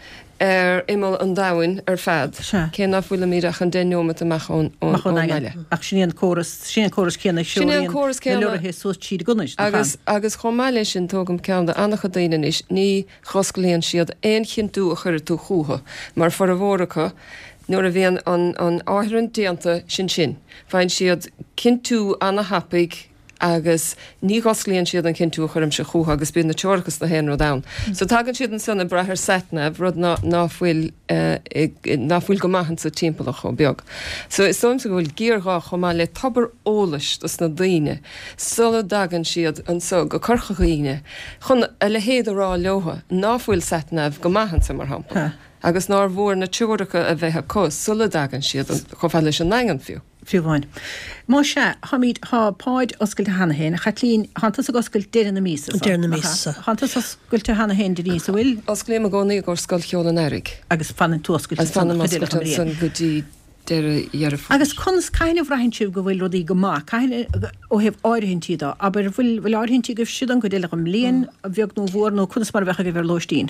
ar imeall an domhain ar fad, cé ná fuilimid ach an deich neomat amach ón Amach ón mbaile. nDaingean. Ach sin é an córas, sin é an córas céanna a Sin é an threoraíonn córas na céanna. leoraithe suas tríd an gConair, nach ea? Agus, agus chomh maith leis sin, tógaim ceann de an-chuid daoine anois, ní dh'osclaíonn siad aon chinntiú a chuirfidh tú chucu, mar formhór acu, nuair a bhíonn an, an áirithint déanta, sin sin. Faigheann siad cinntiú ana-thapaidh agus ní dh'osclaíonn siad an cinntiú a chuirimse chucu agus bíonn na teoracha is na haon rud ann. So tagann siad ansan ag brath ar satnav, rud ná, ná fuil, ná fuil go maith insa timpeallacht chomh beag. So is dóigh liomsa go bhfuil géarghá chomh maith le tobar eolais dos na daoine sula dtagann siad anso go Corca Dhuibhne chun a leithéid a rá leotha ná fuil satnav go maith anso mar shampla agus nár mhór na teoracha a bheith acu sula dtagann siad chomh fada leis an nDaingean fiú. Fiú amháin. Más ea, táimid, tá Páid oscailte cheana féin. A Chaitlín, thánn tusa ag oscailt deireadh na míosa so, Deireadh na nach míosa ea? so. Thánn tusa oscailte cheana féin, Denise, an bhfuil? Osclaím i gcónaí i gcomhair Scoil Cheoil an Earraigh. Agus fanann tú oscailte Agus ansan fanaim an chuid eile oscailte den bhliain. ansan go dtí deireadh Dheireadh Fómhair. Agus conas, cathain a bhraitheann sibh go bhfuil rudaí go maith? Cathain, ó thaobh áirithintí de, abair, bhfuil, bhfuil áirithintí agaibhse don gcuid eile den mbliain, a bheag nó a mhór, nó conas mar a bheadh agaibh ar lóistín?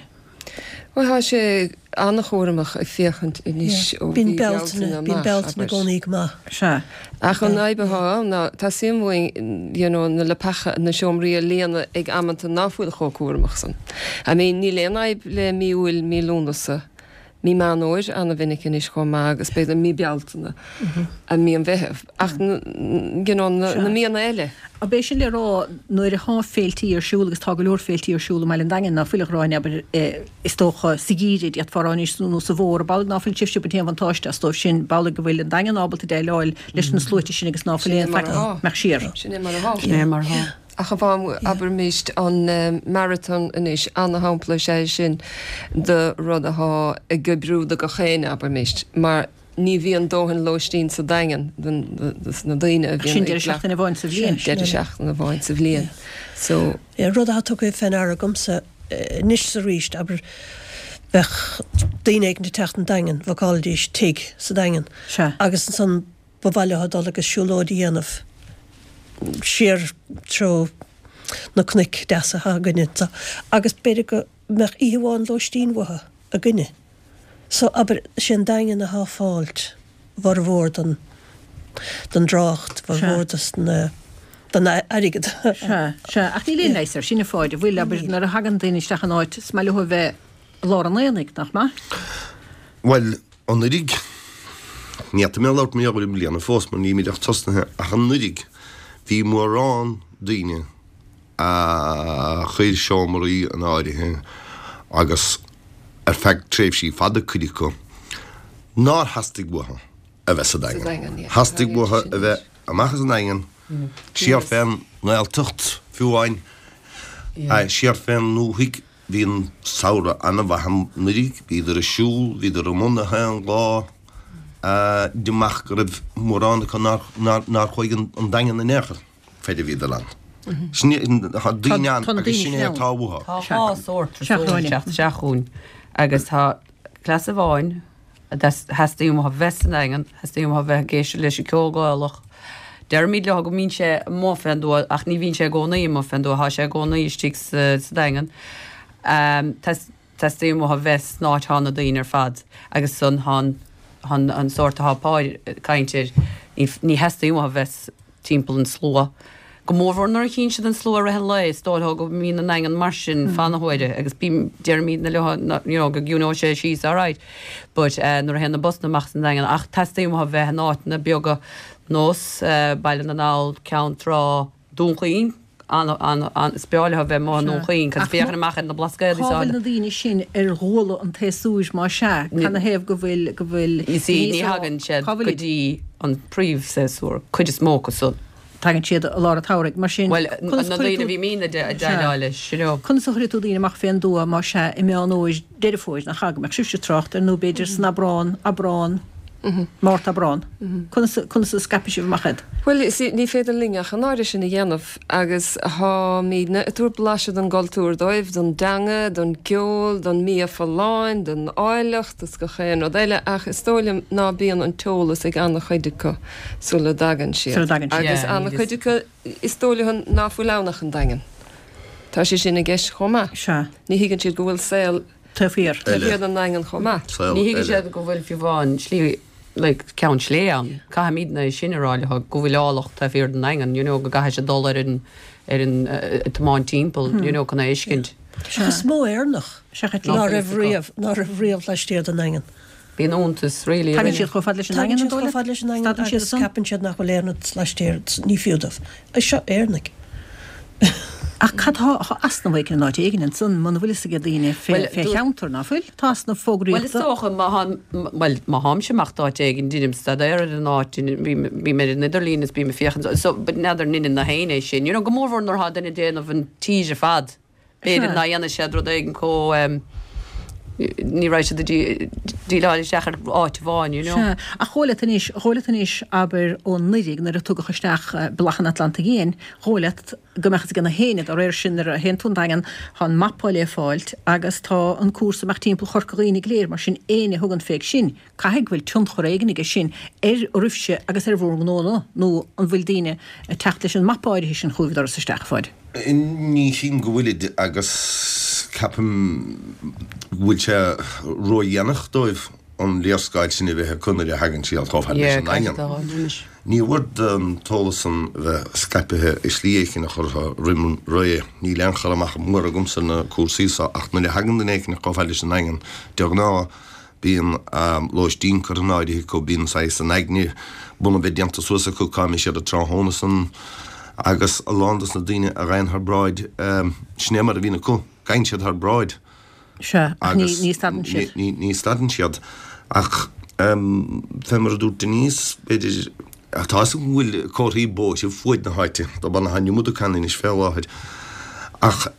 Bhuel, tá sé an-chúramach ag féachaint anois ó Bíonn mhí Bealtaine, Bealtaine bíonn amach, Bealtaine i abair. gcónaí go maith. Sea. Ach an fhadhb atá ann ná teastaíonn uainn, you know, na leapacha, na seomraí a líonadh ag amanta ná fuil chomh cúramach san. I mean, níl aon fhadhb le mí Iúil, mí Lúnasa, mí Meán Fhómhair an-mhinic anois chomh maith agus b'fhéidir mí Bealtaine, mí an Mheithimh. Ach, you know, na míonna eile. Ab é sin le rá nuair atá féiltí ar siúl, agus tá go leor féiltí ar siúl i mBaile an Daingin, ná fuil a Ghráinne, abair, is dócha, sa gheimhreadh, d'fhéadfá a rá anois, nó sa bhfómhar, ab amhlaidh ná fuil sibhse ag baint aon bhuntáiste as dóibh sin, b'amhlaidh go bhfuil an Daingean ábalta déileáil leis na sluaite sin agus ná fuil aon faic mbeadh siar. Sin é mar atá. Sin é mar atá. Ach amháin, abraimis, an marathon anois, ana-shampla is ea é sin de rud athá ag oibriú do gach éinne, abraimis, mar ní bhíonn dóthain lóistín sa Daingean dos na daoine a bhíonn Sin ag deireadh seachtaine amháin sa bhliain. Deireadh seachtaine amháin sa bhliain. So. Yeah, rud atá tugtha fé ndeara agamsa anois is arís, abair, bheadh daoine éigin ag teacht an Daingean, bhookáilidís tigh sa Daingean Sea. agus ansan ba mhaith leo dul agus siúlóid a dhéanamh siar treo na cnoic deasa atá againne anseo agus b'fhéidir go mbeadh oíche amháin lóistín uathu againne. So, abair, sé an Daingean athá ag fáilt bhformhór den den dtrácht, bhformhór dos na den airgead. Sea, sea, ach níl aon leigheas air sin a Pháid, an bhfuil, abair, nuair a thagann daoine isteach in áit, is maith leo a bheith i lár an aonaigh, nach maith? Bhuel, anuraidh, ní fhéadfaidh mé labhairt mar gheall ar i mbliana fós mar nílimid ach tosnaithe, ach anuraidh bhí mórán daoine a chuir seomraí in áirithe agus ar feadh tréimhsí fada cuid acu nár theastaigh uathu a bheith sa Daingean. Theastaigh uathu a bheith amach as an nDaingean, siar fén nGaeltacht fiú amháin, siar fén ndúthaigh. Bhí an samhradh an-mhaith anuraidh, bhíodar ag siúl, bhíodar amuigh na haon lá, amach go raibh mórán acu nár chuaigh an Daingean in aon chor faid a bhíodar ann. Sin tá daoine ann agus sin é atá uathu. Tá dhá sórt turasóirí ag teacht isteach chugainn agus tá cleas amháin a theastaíonn uathu bheith sa nDaingean, theastaíonn uathu bheith ag éisteacht leis an gceol Gaelach. Deirimid leo go mbíonn sé amuigh fén dtuath ach ní bhíonn sé i gcónaí amuigh fén dtuath, tá sé i gcónaí istigh sa Daingean. Teastaíonn uathu bheith san áit thá na daoine ar fad agus san thá an an sórt athá Páid ag caint air, ní theastaíonn uathu bheith timpeall an slua. Go mórmhór nuair a chíonn siad an slua i rith an lae, is dóigh leo go mbíonn an nDaingean mar sin fan na huaire agus bím, deirimidne leo you know go gciúnóidh sé síos alright but nuair a théann na busanna amach as an nDaingean ach teastaíonn uathu bheith in áiteanna beaga nós Baile na nGall, Ceann Trá, Dún Chaoin. Ana, ana, ana, is breá leo a bheith amuigh i nDún Chaoin, cos féachann amach ar na Blascaodaí Cá is bhfuil áille. na daoine sin ar ghuala an tséasúir má sea? Canathaobh go bhfuil, go bhfuil, You see, Denise ní á rá, thagann siad cá go bhfuil dtí an príomhshéasúr, cuid is mó acu san. Tagann siad i lár an tsamhraidh, mar sin, Bhuel, conas na a chuirfidh daoine a tú, bhí mín ag sea, déileáil leis, you know. conas a chuirfidh tú daoine amach fén dtuath má sea i Meán Fhómhair, Deireadh Fómhair, nach ea, go mbeadh sibhse ag trácht air, nó b'fhéidir san Aibreán, Aibreán. Márta, Aibreán. Conas conas a scaipfidh sibh amach iad? Bhuel, see, ní féidir linn ach an oiread sin a dhéanamh agus táimidne ag tabhairt blaiseadh don gcultúr dóibh, don dteanga, don gceol, don mbia folláin, don áilleacht is gach aon rud eile ach is dóigh liom ná bíonn an t-eolas ag an-chuid acu sula dtagann siad. Sula dtagann siad. Agus an-chuid acu is dóigh leo ná fuil ann ach an Daingean. Tá sé sin i gceist chomh maith. Sea. Ní thuigeann siad go bhfuil saol Taobh thiar. Taobh thiar den nDaingean chomh maith. Ní thuigeann siad go bhfuil fiú amháin slí like ceann sléibhe ann. Caithfimidne é sin a rá leo, go bhfuil áilleacht taobh thiar den nDaingean, you know, go gcaithfidh siad dul ar an ar an tiomáint timpeall, you know, chun é a fheiscint. Ach is mó Éireannach ná raibh riamh, ná raibh riamh laistiar den nDaingean. Bíonn iontas really Tagann siad chomh fada leis an Tagann nDaingean, an siad dóigh chomh leat? fada leis an nDaingean Stadann siad agus ansan? ceapann siad nach bhfuil aon rud laistiar, ní fiú dóibh. Seo Éireannaigh. Ach cad tá tá easnamh éigin in áit éigin ansan, muna bhfuil fhios ag daoine fé Bhuel, fé dúirt- cheantar, ná fuil? Tá easnamh Bhuel, is fógraíochta. dócha má thá, bhuel, má tháimse amach d'áit éigin, deinim staidéar ar an áit, bím bím ar an idirlíon is bím ag féachaint, so, but n'fheadar an ndeineann na héinne é sin. You know, go mórmhór nuair atá duine ag déanamh an tír ar fad. B'fhéidir Sea. ná dhéanfaidh siad rud éigin chomh, em, ní raibh siad ag déileáil isteach ar áit amháin, you know. Sea, ach dhóigh leat anois, dhóigh leat anois, abair, ó anuraidh nuair a tugadh isteach Bealach an Atlantaigh Fhiáin, dhóigh leat go mbeadh fhios ag na héinne dá réir sin nuair a théann tú 'on Daingean, tá an mapa le fáilt agus tá an cúrsa amach timpeall Chorca Dhuibhne go léir, mar sin éinne a thugann féig sin, caithfidh go bhfuil tionchar éigin aige sin ar oraibhse agus ar bhur ngnónna, nó an bhfuil daoine ag teacht leis an mapa áirithe sin chugaibh an doras isteach, a Pháid? Ní shílim go bhfuilid agus ceapaim go bhfuil sé ródhéanach dóibh an léarscáil sin a bheith acu nuair a thagann siad chomh fada leis an nDaingean. Ní mhór don t-eolas san bheith scaipthe i slí éicint a chur roimh ré. Níl aon chur amach mór agamsa ar na cúrsaí so ach nuair a thagann duine éicint chomh fada leis an nDaingean, de ghnáth, Bíonn lóistín curtha in áirithe acu, bíonn saghas in aigne bunaidh bheith déanta suas acu cá mbeidh siad an tráthnóna san agus a lán dos na daoine a ghabhann thar bráid, sin é mar a bhíonn acu, gabhann siad thar bráid. Sea, ach ní, Agus ní stadann siad. ní, ní stadann siad. Ach fé mar a dúirt Denise, b'fhéidir, tá fhios agam go bhfuil comharthaí bóithre fuaid na háite, dob ann atá an iomad acu anois fé láthair. Ach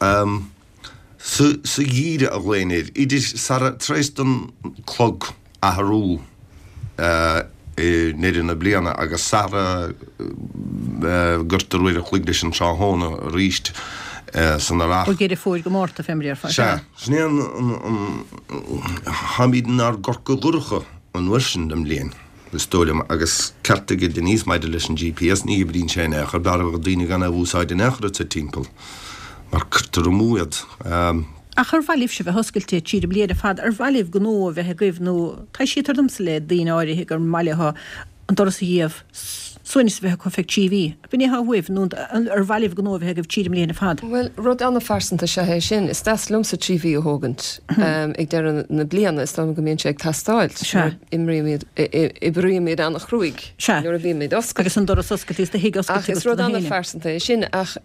Sa gheimhreadh a ghlaoinn air, idir sara, tar éis don clog athrú i ndeireadh na bliana agus sara gcuirtear uair a chloig leis an tráthnóna arís san earrach. Ó Dheireadh Fómhair go Márta, fé mar a déarfá. Sea, sin é an, an, táimid inár gCorca dhorcha an uair sin den mbliain. Is dóigh liom, agus ceart aige Denise maidir leis an GPS, ní oibríonn sé in aon chor, b'fhearr a bheadh daoine gan é a úsáid in aon chor atá timpeall, mar cuirtear amú iad. Ach ar mhaith libhse bheith oscailte tríd an mbliain ar fad? Ar mhaith libh gnó a bheith agaibh nó taibhsítear domsa le daoine áirithe gur maith leo an doras a dhíobh, suaimhneas a bheith acu feadh trí mhí. B'in é atá uaibh nó ar mhaith libh gnó a bheith agaibh tríd an mbliain ar fad? Bhuel, rud an-phearsanta is ea é sin. Is deas liomsa trí mhí a thógaint ag deireadh na bliana. Is dóigh liom go mbíonn sé ag teastáilt. Sea. Imrímid, oibrímid an-chruaidh nuair a bhímid oscailte. Agus an doras oscailte is do thigh Ach oscailte is agat rud do na héinne. an-phearsanta é sin. Ach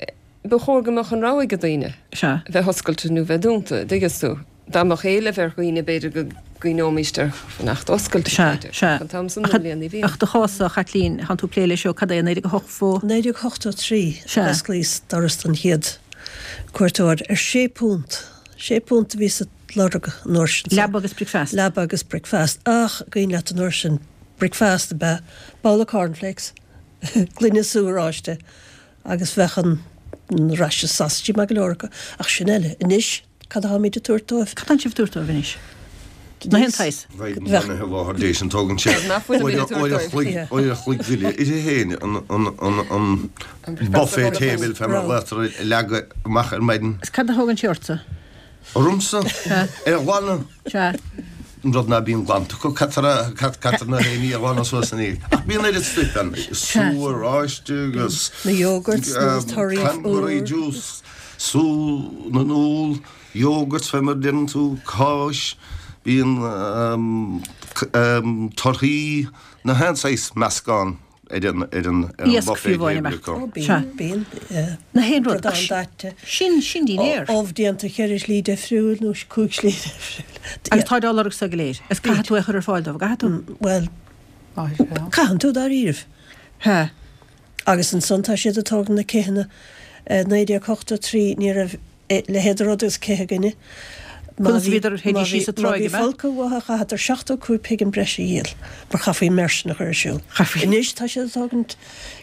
ba chóir go mbeadh an rogha ag daoine Sea. bheith oscailte nó bheith dúnta, an dtuigeann tú. Dá mbeadh éileamh ar dhaoine b'fhéidir go gcuimhneoimíst ar fanacht oscailte, Sea, b'fhéidir. sea. Ach an t-am san den bhliain ní bhíonn. Ach do chás-sa, a Chaitlín, thánn tú ag plé leis ó cad é, naoi déag a hocht fó? Naoi déag ochtó trí Sea. a d'osclaíos doras don chéad cuairteoir ar sé púnt. Sé púnt a bhíos ag lorg an uair sin. Leaba agus bricfeasta. Leaba agus bricfeasta. Ach cuimhin leat an uair sin, bricfeasta ab ea babhla cornflakes, gloine sú oráiste agus bheadh an raise sasaidí maith go leor acu. Ach sin eile. Anois, Cad atáimid ag tabhairt dóibh? Cad atánn sibh ag tabhairt dóibh anois? Na haon tsaghas. Bheadh na láthair léis an tógann sé uair a chloig uair a chloig uile uirthi féin an an an an buffet table fé mar a ghlaotar a leagadh amach ar maidin. Is cad a thógann sé ortsa? Ormsa? É a ghlanadh. Sea. An rud ná bíonn glanta acu, caitear caitear na héinní a ghlanadh suas ina dhiaidh. Ach bíonn oiread stuif ann, sú oráiste agus Na yogurts, na torthaí cranberry úr. juice, sú na n-úll, yogurts fé mar a deireann tú, cáis, bíonn torthaí, na haon saghas meascán ar an ar an ar an Iasc buffet fiú amháin, table ab ea? acu. Ó Sea. bíonn, bíonn, yeah. Na haon rud. Bradán daite. Sin, sin dinnéar. Ubh déanta ceithre shlí difriúil nó cúig slí difriúil. Agus táid á lorg so go léir. Is caithfidh tú é a chur ar fáil dóibh, an gcaithfidh tú? Bhuel, caitheann tú dáiríribh. He. Agus ansan tá siad ag tógaint na céanna. Naoi déag ochtó trí ní raibh leithéid de rud agus cith againne. Conas a bhíodar, théidís síos an tráigh, Má bhí folcadh uathu chaitheadar seachtó cúig pingin breise a dhíol mar chaithfí an méar sin a chur ar siúl. Anois tá siad ag tógaint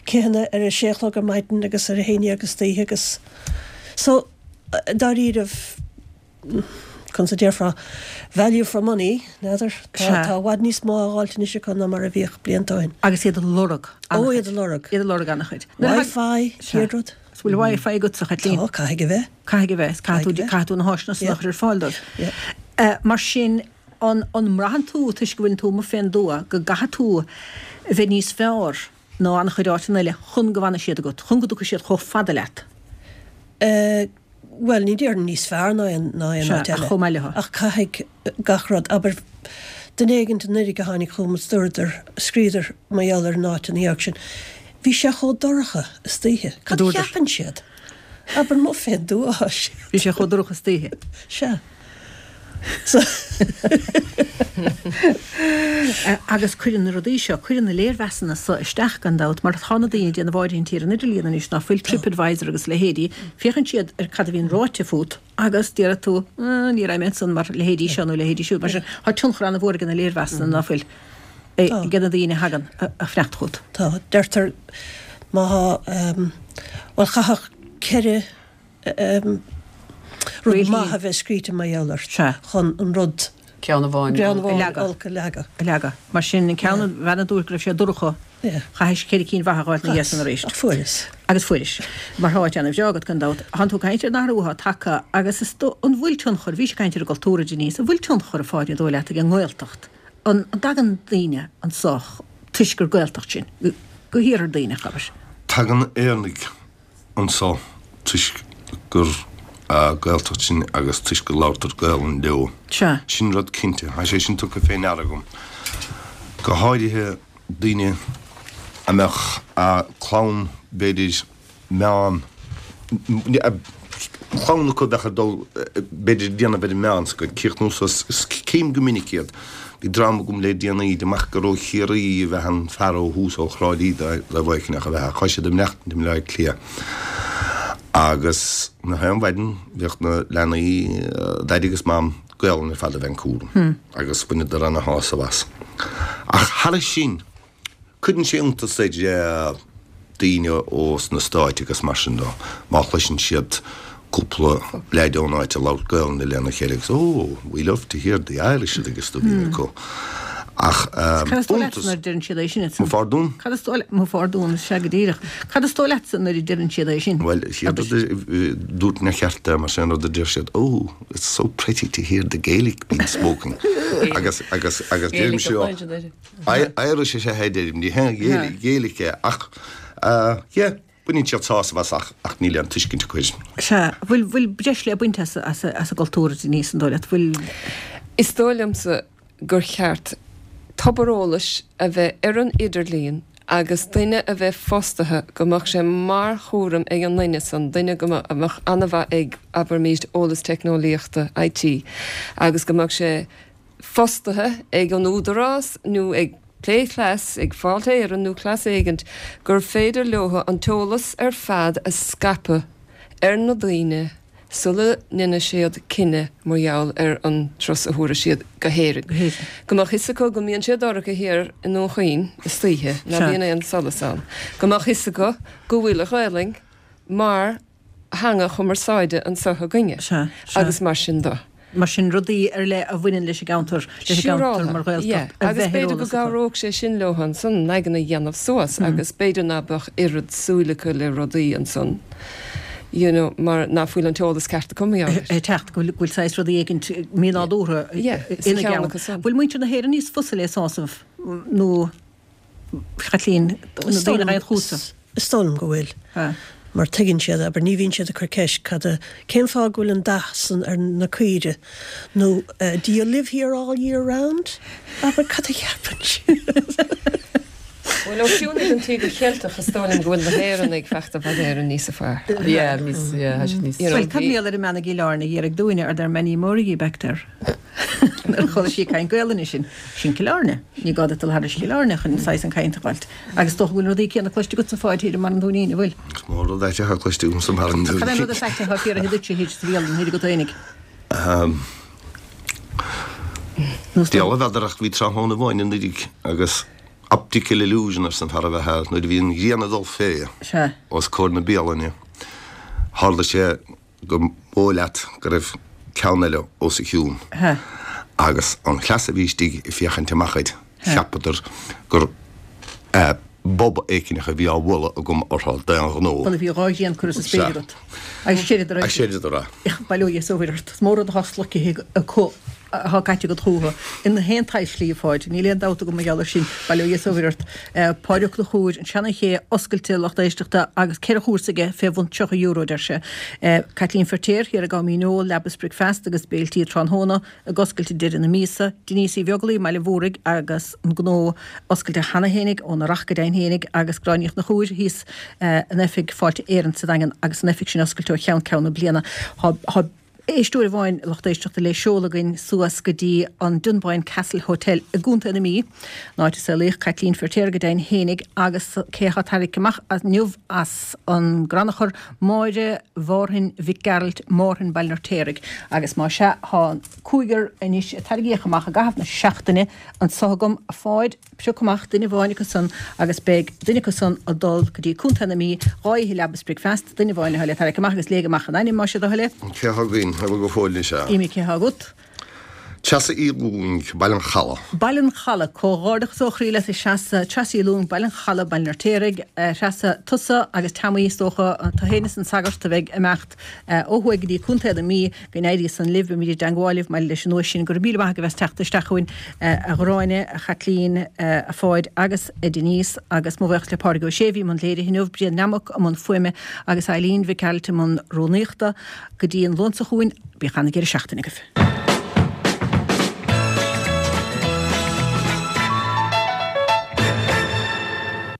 céanna ar a sé a chlog ar maidin agus ar a haon dhéag istoíche agus so dáiríribh conas a déarfá value for money, n'fheadar, tá tá i bhfad níos mó á dh'fháilt anois acu ná mar a bhíodh blianta ó shin. Agus iad a lorg Ó, iad a lorg. Iad a lorg an-chuid. Wi-Fi, chéad rud. Is bhfuil Wi-Fi agatsa, a Chaitlín? Tá, caithfidh a bheith. Caithfidh a bheith, caithfidh tú, caithfidh tú na háiseanna san a chur ar fáil dóibh. Mar sin, an an mbraitheann tú, toisc go bhfuileann tú amuigh fén dtuath, go gcaithfidh tú a bheith níos fearr ná an-chuid áiteanna eile chun go bhfanfaidh siad agat, chun go dtiocfaidh siad chomh fada leat? Bhuel, ní déarfainn níos fearr ná aon ná aon Sea, áit ach eile. chomh maith leo. Ach caithfidh gach rud, abair, duine éigint anuraidh a tháinig chugam is dúradar, scríodar mar gheall ar an áit ina dhiaidh sin, bhí sé chomh dorcha istoíche. Cad a Dúradar. cheapann siad? Abair, amuigh fén dtuath atá siad. Bhí sé chomh dorcha istoíche. Sea. Agus cuireann na rudaí seo, cuireann na léirmheasanna so isteach gan dabht, mar tá na daoine ag déanamh áirithintí ar an idirlíon anois, ná fuil TripAdvisor agus a leithéidí, féachann siad ar cad a bhíonn ráite fút agus déarfaidh tú, ní raibh mé ansan mar leithéidí seo nó leithéidí siúd. Mar sin, tá tionchar an-mhór ag na léirmheasanna, ná fuil, ag na daoine a thagann a fanacht chugat. Tá. Deirtear má thá, bhuel, chaithfeadh ceithre rud maith a bheith scríte mar gheall ort chun an rud Ceann amháin ceann amháin olc a leagadh. A leagadh. Mar sin, an ceann, an bhean a dúirt go raibh sé dorcha, chaithis ceithre cinn mhaithe a dh'fháilt ina dhiaidh san arís. Ach fuaireas. Agus fuairis. Mar tá áit ana-bhreá agat, gan dabht. Thánn tú ag caint ar an athrú atá tagtha agus is dó, an bhfuil tionchar, bhís ag caint ar an gcultúr, a Denise, an bhfuil tionchar, a Pháidí, an dóigh leat, ag an nGaeltacht? An dtagann daoine anso toisc gur Gaeltacht sinn? Go hiarthar Duibhneach, abair. Tagann Éireannaigh anso toisc gur Gaeltacht sinn agus toisc go labhartar Gaelainn leo. Sea. Sin rud cinnte. Tá sé sin tugtha fé ndeara agam. Go háirithe daoine a mbeadh clann, b'fhéidir, meán, clann acu a bheadh ag dul, b'fhéidir, ag déanamh ar an meánscoil, críochnú suas, cím go minic iad. Bhí dream agam le déanaí, amach gur ó Chiarraí a bheadh an fear ó thús, ó Thrá Lí dá bhféicinn ach a bheadh, ach tá siad ag maireachtaint i mBleá Cliath. Agus nach aon mhaidin bhíodh na leanaí, Daidí agus Mam, Gaolainn ar fad a bheith an cúram agus bhaineadar ana shásamh as. Ach thairis sin, cuireann sé iontas ar daoine ó sna Stáit agus mar sin de má chloiseann siad cúpla leaid ón áit ag labhairt Gaolainne lena chéile agus oh, we love to hear the Irish agus do bhíonn acu. Ach Cad is dóigh leatsa nuair a deireann siad é sin? Mo phardún? Cad is dóigh Mo phardún, sea go díreach. Cad is dóigh leatsa nuair a deireann siad é sin? Bhuel, chéad rud a dúirt na cearta mar sin rud a deir siad, oh, it's so pretty to hear the Gaelic being spoken. Agus agus agus deirim seo Irish is ea é deirim, ní hea Gaelic Gaelic é ach yeah, baineann siad sásamh as ach ach níl aon tuiscint acu air. Sea, bhfuil bhfuil breis le baint as as as an gcultúr a Denise an dóigh leat? Bhfuil. Is dóigh liomsa gur cheart tobar eolais a bheith ar an idirlíon agus duine a bheith fostaithe go mbeadh sé mar chúram ag an nduine san, duine go a mbeadh an-mhaith ag, abraimís, eolas teicneolaíochta, IT, agus go mbeadh sé fostaithe ag an Údarás nó ag Plé Cleas, ag Fáilte Éireann nó cleas éigint, gur féidir leo an t-eolas ar fad a scaipeadh ar na daoine sula ndéanfaidh siad cinneadh mar gheall ar an turas a thabharfaidh siad go hÉirinn. Go mbeadh fhios acu go mbíonn sé dorcha thiar i nDún Chaoin istoíche, ná bíonn aon solas ann. Go mbeadh fhios acu go bhfuil an Ghaelainn mar theanga chumarsáide anso againne agus mar sin de. Mar sin, rudaí ar leith a bhaineann leis an gceantar, leis an gceantar mar Ghaeltacht, a bheith ar eolas acu. Agus b'fhéidir go gcabhródh sé sin leo ansan an aigne a dhéanamh suas agus b'fhéidir ná beadh oiread súil acu le rudaí ansan, you know, mar ná fuil an t-eolas ceart acu mar gheall air. Ag teacht, go bhfuil saghas rudaí éigint mínádúrtha ina gceann. Bhfuil muintir na hÉireann níos fusa le sásamh nó Chaitlín, na daoine a ghaibh chútsa? Is dóigh liom go bhfuil. Mar tuigeann siad, abair, ní bhíonn siad ag cur ceist cad a, cén fáth go bhfuil an dath san ar na caoire nó do you live here all year round? Abair, cad a cheapann siad? Bhuel, ó chiúnaigh an Tíogar Cheilteach, is dóigh liom go bhfuil na hÉireannaigh fachta i bhfad Éireann níosa fearr. Yeah, níos, yeah, tá siad níos. Bhuel, cad mar gheall ar an mbean i gCill Airne a dh'iarraidh dúinne, are there many more of ye back there? Nuair a chuala sí ag caint Gaelainne sin, sin Cill Airne. Ní gá duit dul thairis Chill Airne chun saghas an caint a fháilt. Agus is dócha go bhfuil rudaí céanna cloiste agatsa a Pháid thiar i mBarra an Dúinín, an bhfuil? Is mór rud aite atá cloiste agamsa i mBarra an Cad é an Dúinín. rud is aite atá fiafraithe duitse thiar sa bhialann thiar agat fhéinig? Ahem. Diabhal a bhfeadar ach bhí tráthnóna amháin anuraidh agus optical illusion arsa an fear a bheith thall nuair a bhí an ghrian ag dul fé os comhair na bialainne tharla sé go mb'dóigh leat go raibh ceann eile os a chionn agus an chleas a bhí istigh ag féachaint amach air cheapadar gur bob éicineach a bhí á bhualadh agam orthu d'aon ghnó. Bhuel, bhí dhá ghrian curtha sa spéir agat. Agus séireadar é. Séireadar é. Bail ó Dhia is ó Mhuire ort. Is mór rud atá sloicthe acu atá caite agat chucu. Ina haon tslí, a Pháid. Níl aon dabht agam mar gheall air sin. Bail ó Dhia is ó Mhuire ort. Páid Ó Conchúir, an Seana Ché oscailte lucht éisteachta agus ceithre chúrsa aige fé bhun tríocha euro, deir sé. Caitlín Feirtéar, thiar i gCom Dhíneol, Leaba is Bricfeasta agus béiltí tráthnóna ag oscailt ag deireadh na míosa. Denise Uí Bheaglaoi, mBaile Mhúraigh agus an gnó oscailte cheana fhéinig óna racht go deimhin fhéinig agus Gráinne Uí Chonchúir thíos in oifig Fáilte Éireann sa Daingean agus an oifig sin oscailte ó cheann ceann na bliana. Tá éisteoir amháin lucht éisteachta le seoladh againn suas go dtí an Dunboyne Castle Hotel i gContae na Mí, an áit a saolaíodh Caitlín Feirtéar go deimhin fhéinig agus cé atá tarraingthe amach inniu as an gcrannchur, Máire Mhárthain Mhic Gearailt, Márthain, Baile an Fheirtéaraigh. Agus más ea, tá an cúigear anois a tarraingíodh amach i gcaitheamh na seachtaine anso agam, a Pháid, pioc amach duine amháin acu san agus beidh duine acu san ag dul go dtí Contae na Mí, dhá oíche leaba is bricfeasta, duine amháin atá le tarraingt amach agus léigh amach an ainm más é do thoil é. Cé atá againn? An bhfuil go fóill anois ea? Imigh cé atá agat? Treasa Uí Lúing, Baile an Chalaidh. Baile an Chalaidh, Comhghairdeachas ó chroí leat a Threasa, Treasa Uí Lúing, Baile an Chalaidh, Baile an Fheirtéaraigh, a Threasa, tusa agus Teamaí is dócha, tú féin is an sagart a bheidh ag imeacht ó thuaidh go dtí Contae na Mí, Go n-éirí san libh, beimid i dteangmháil libh maidir leis an nduais sin. Go raibh míle maith agaibh as teacht isteach chugainn, a Ghráinne, a Chaitlín, a Pháid agus a Denise agus mo bhuíochas le Pádraig Ó Sé a bhí i mbun léirithe inniu, Brian Nammock i mbun fuaime agus Eileen Mhic Gearailt i mbun rúnaíochta. Go dtí an Luan seo chugainn, bíodh an-deireadh seachtaine agaibh.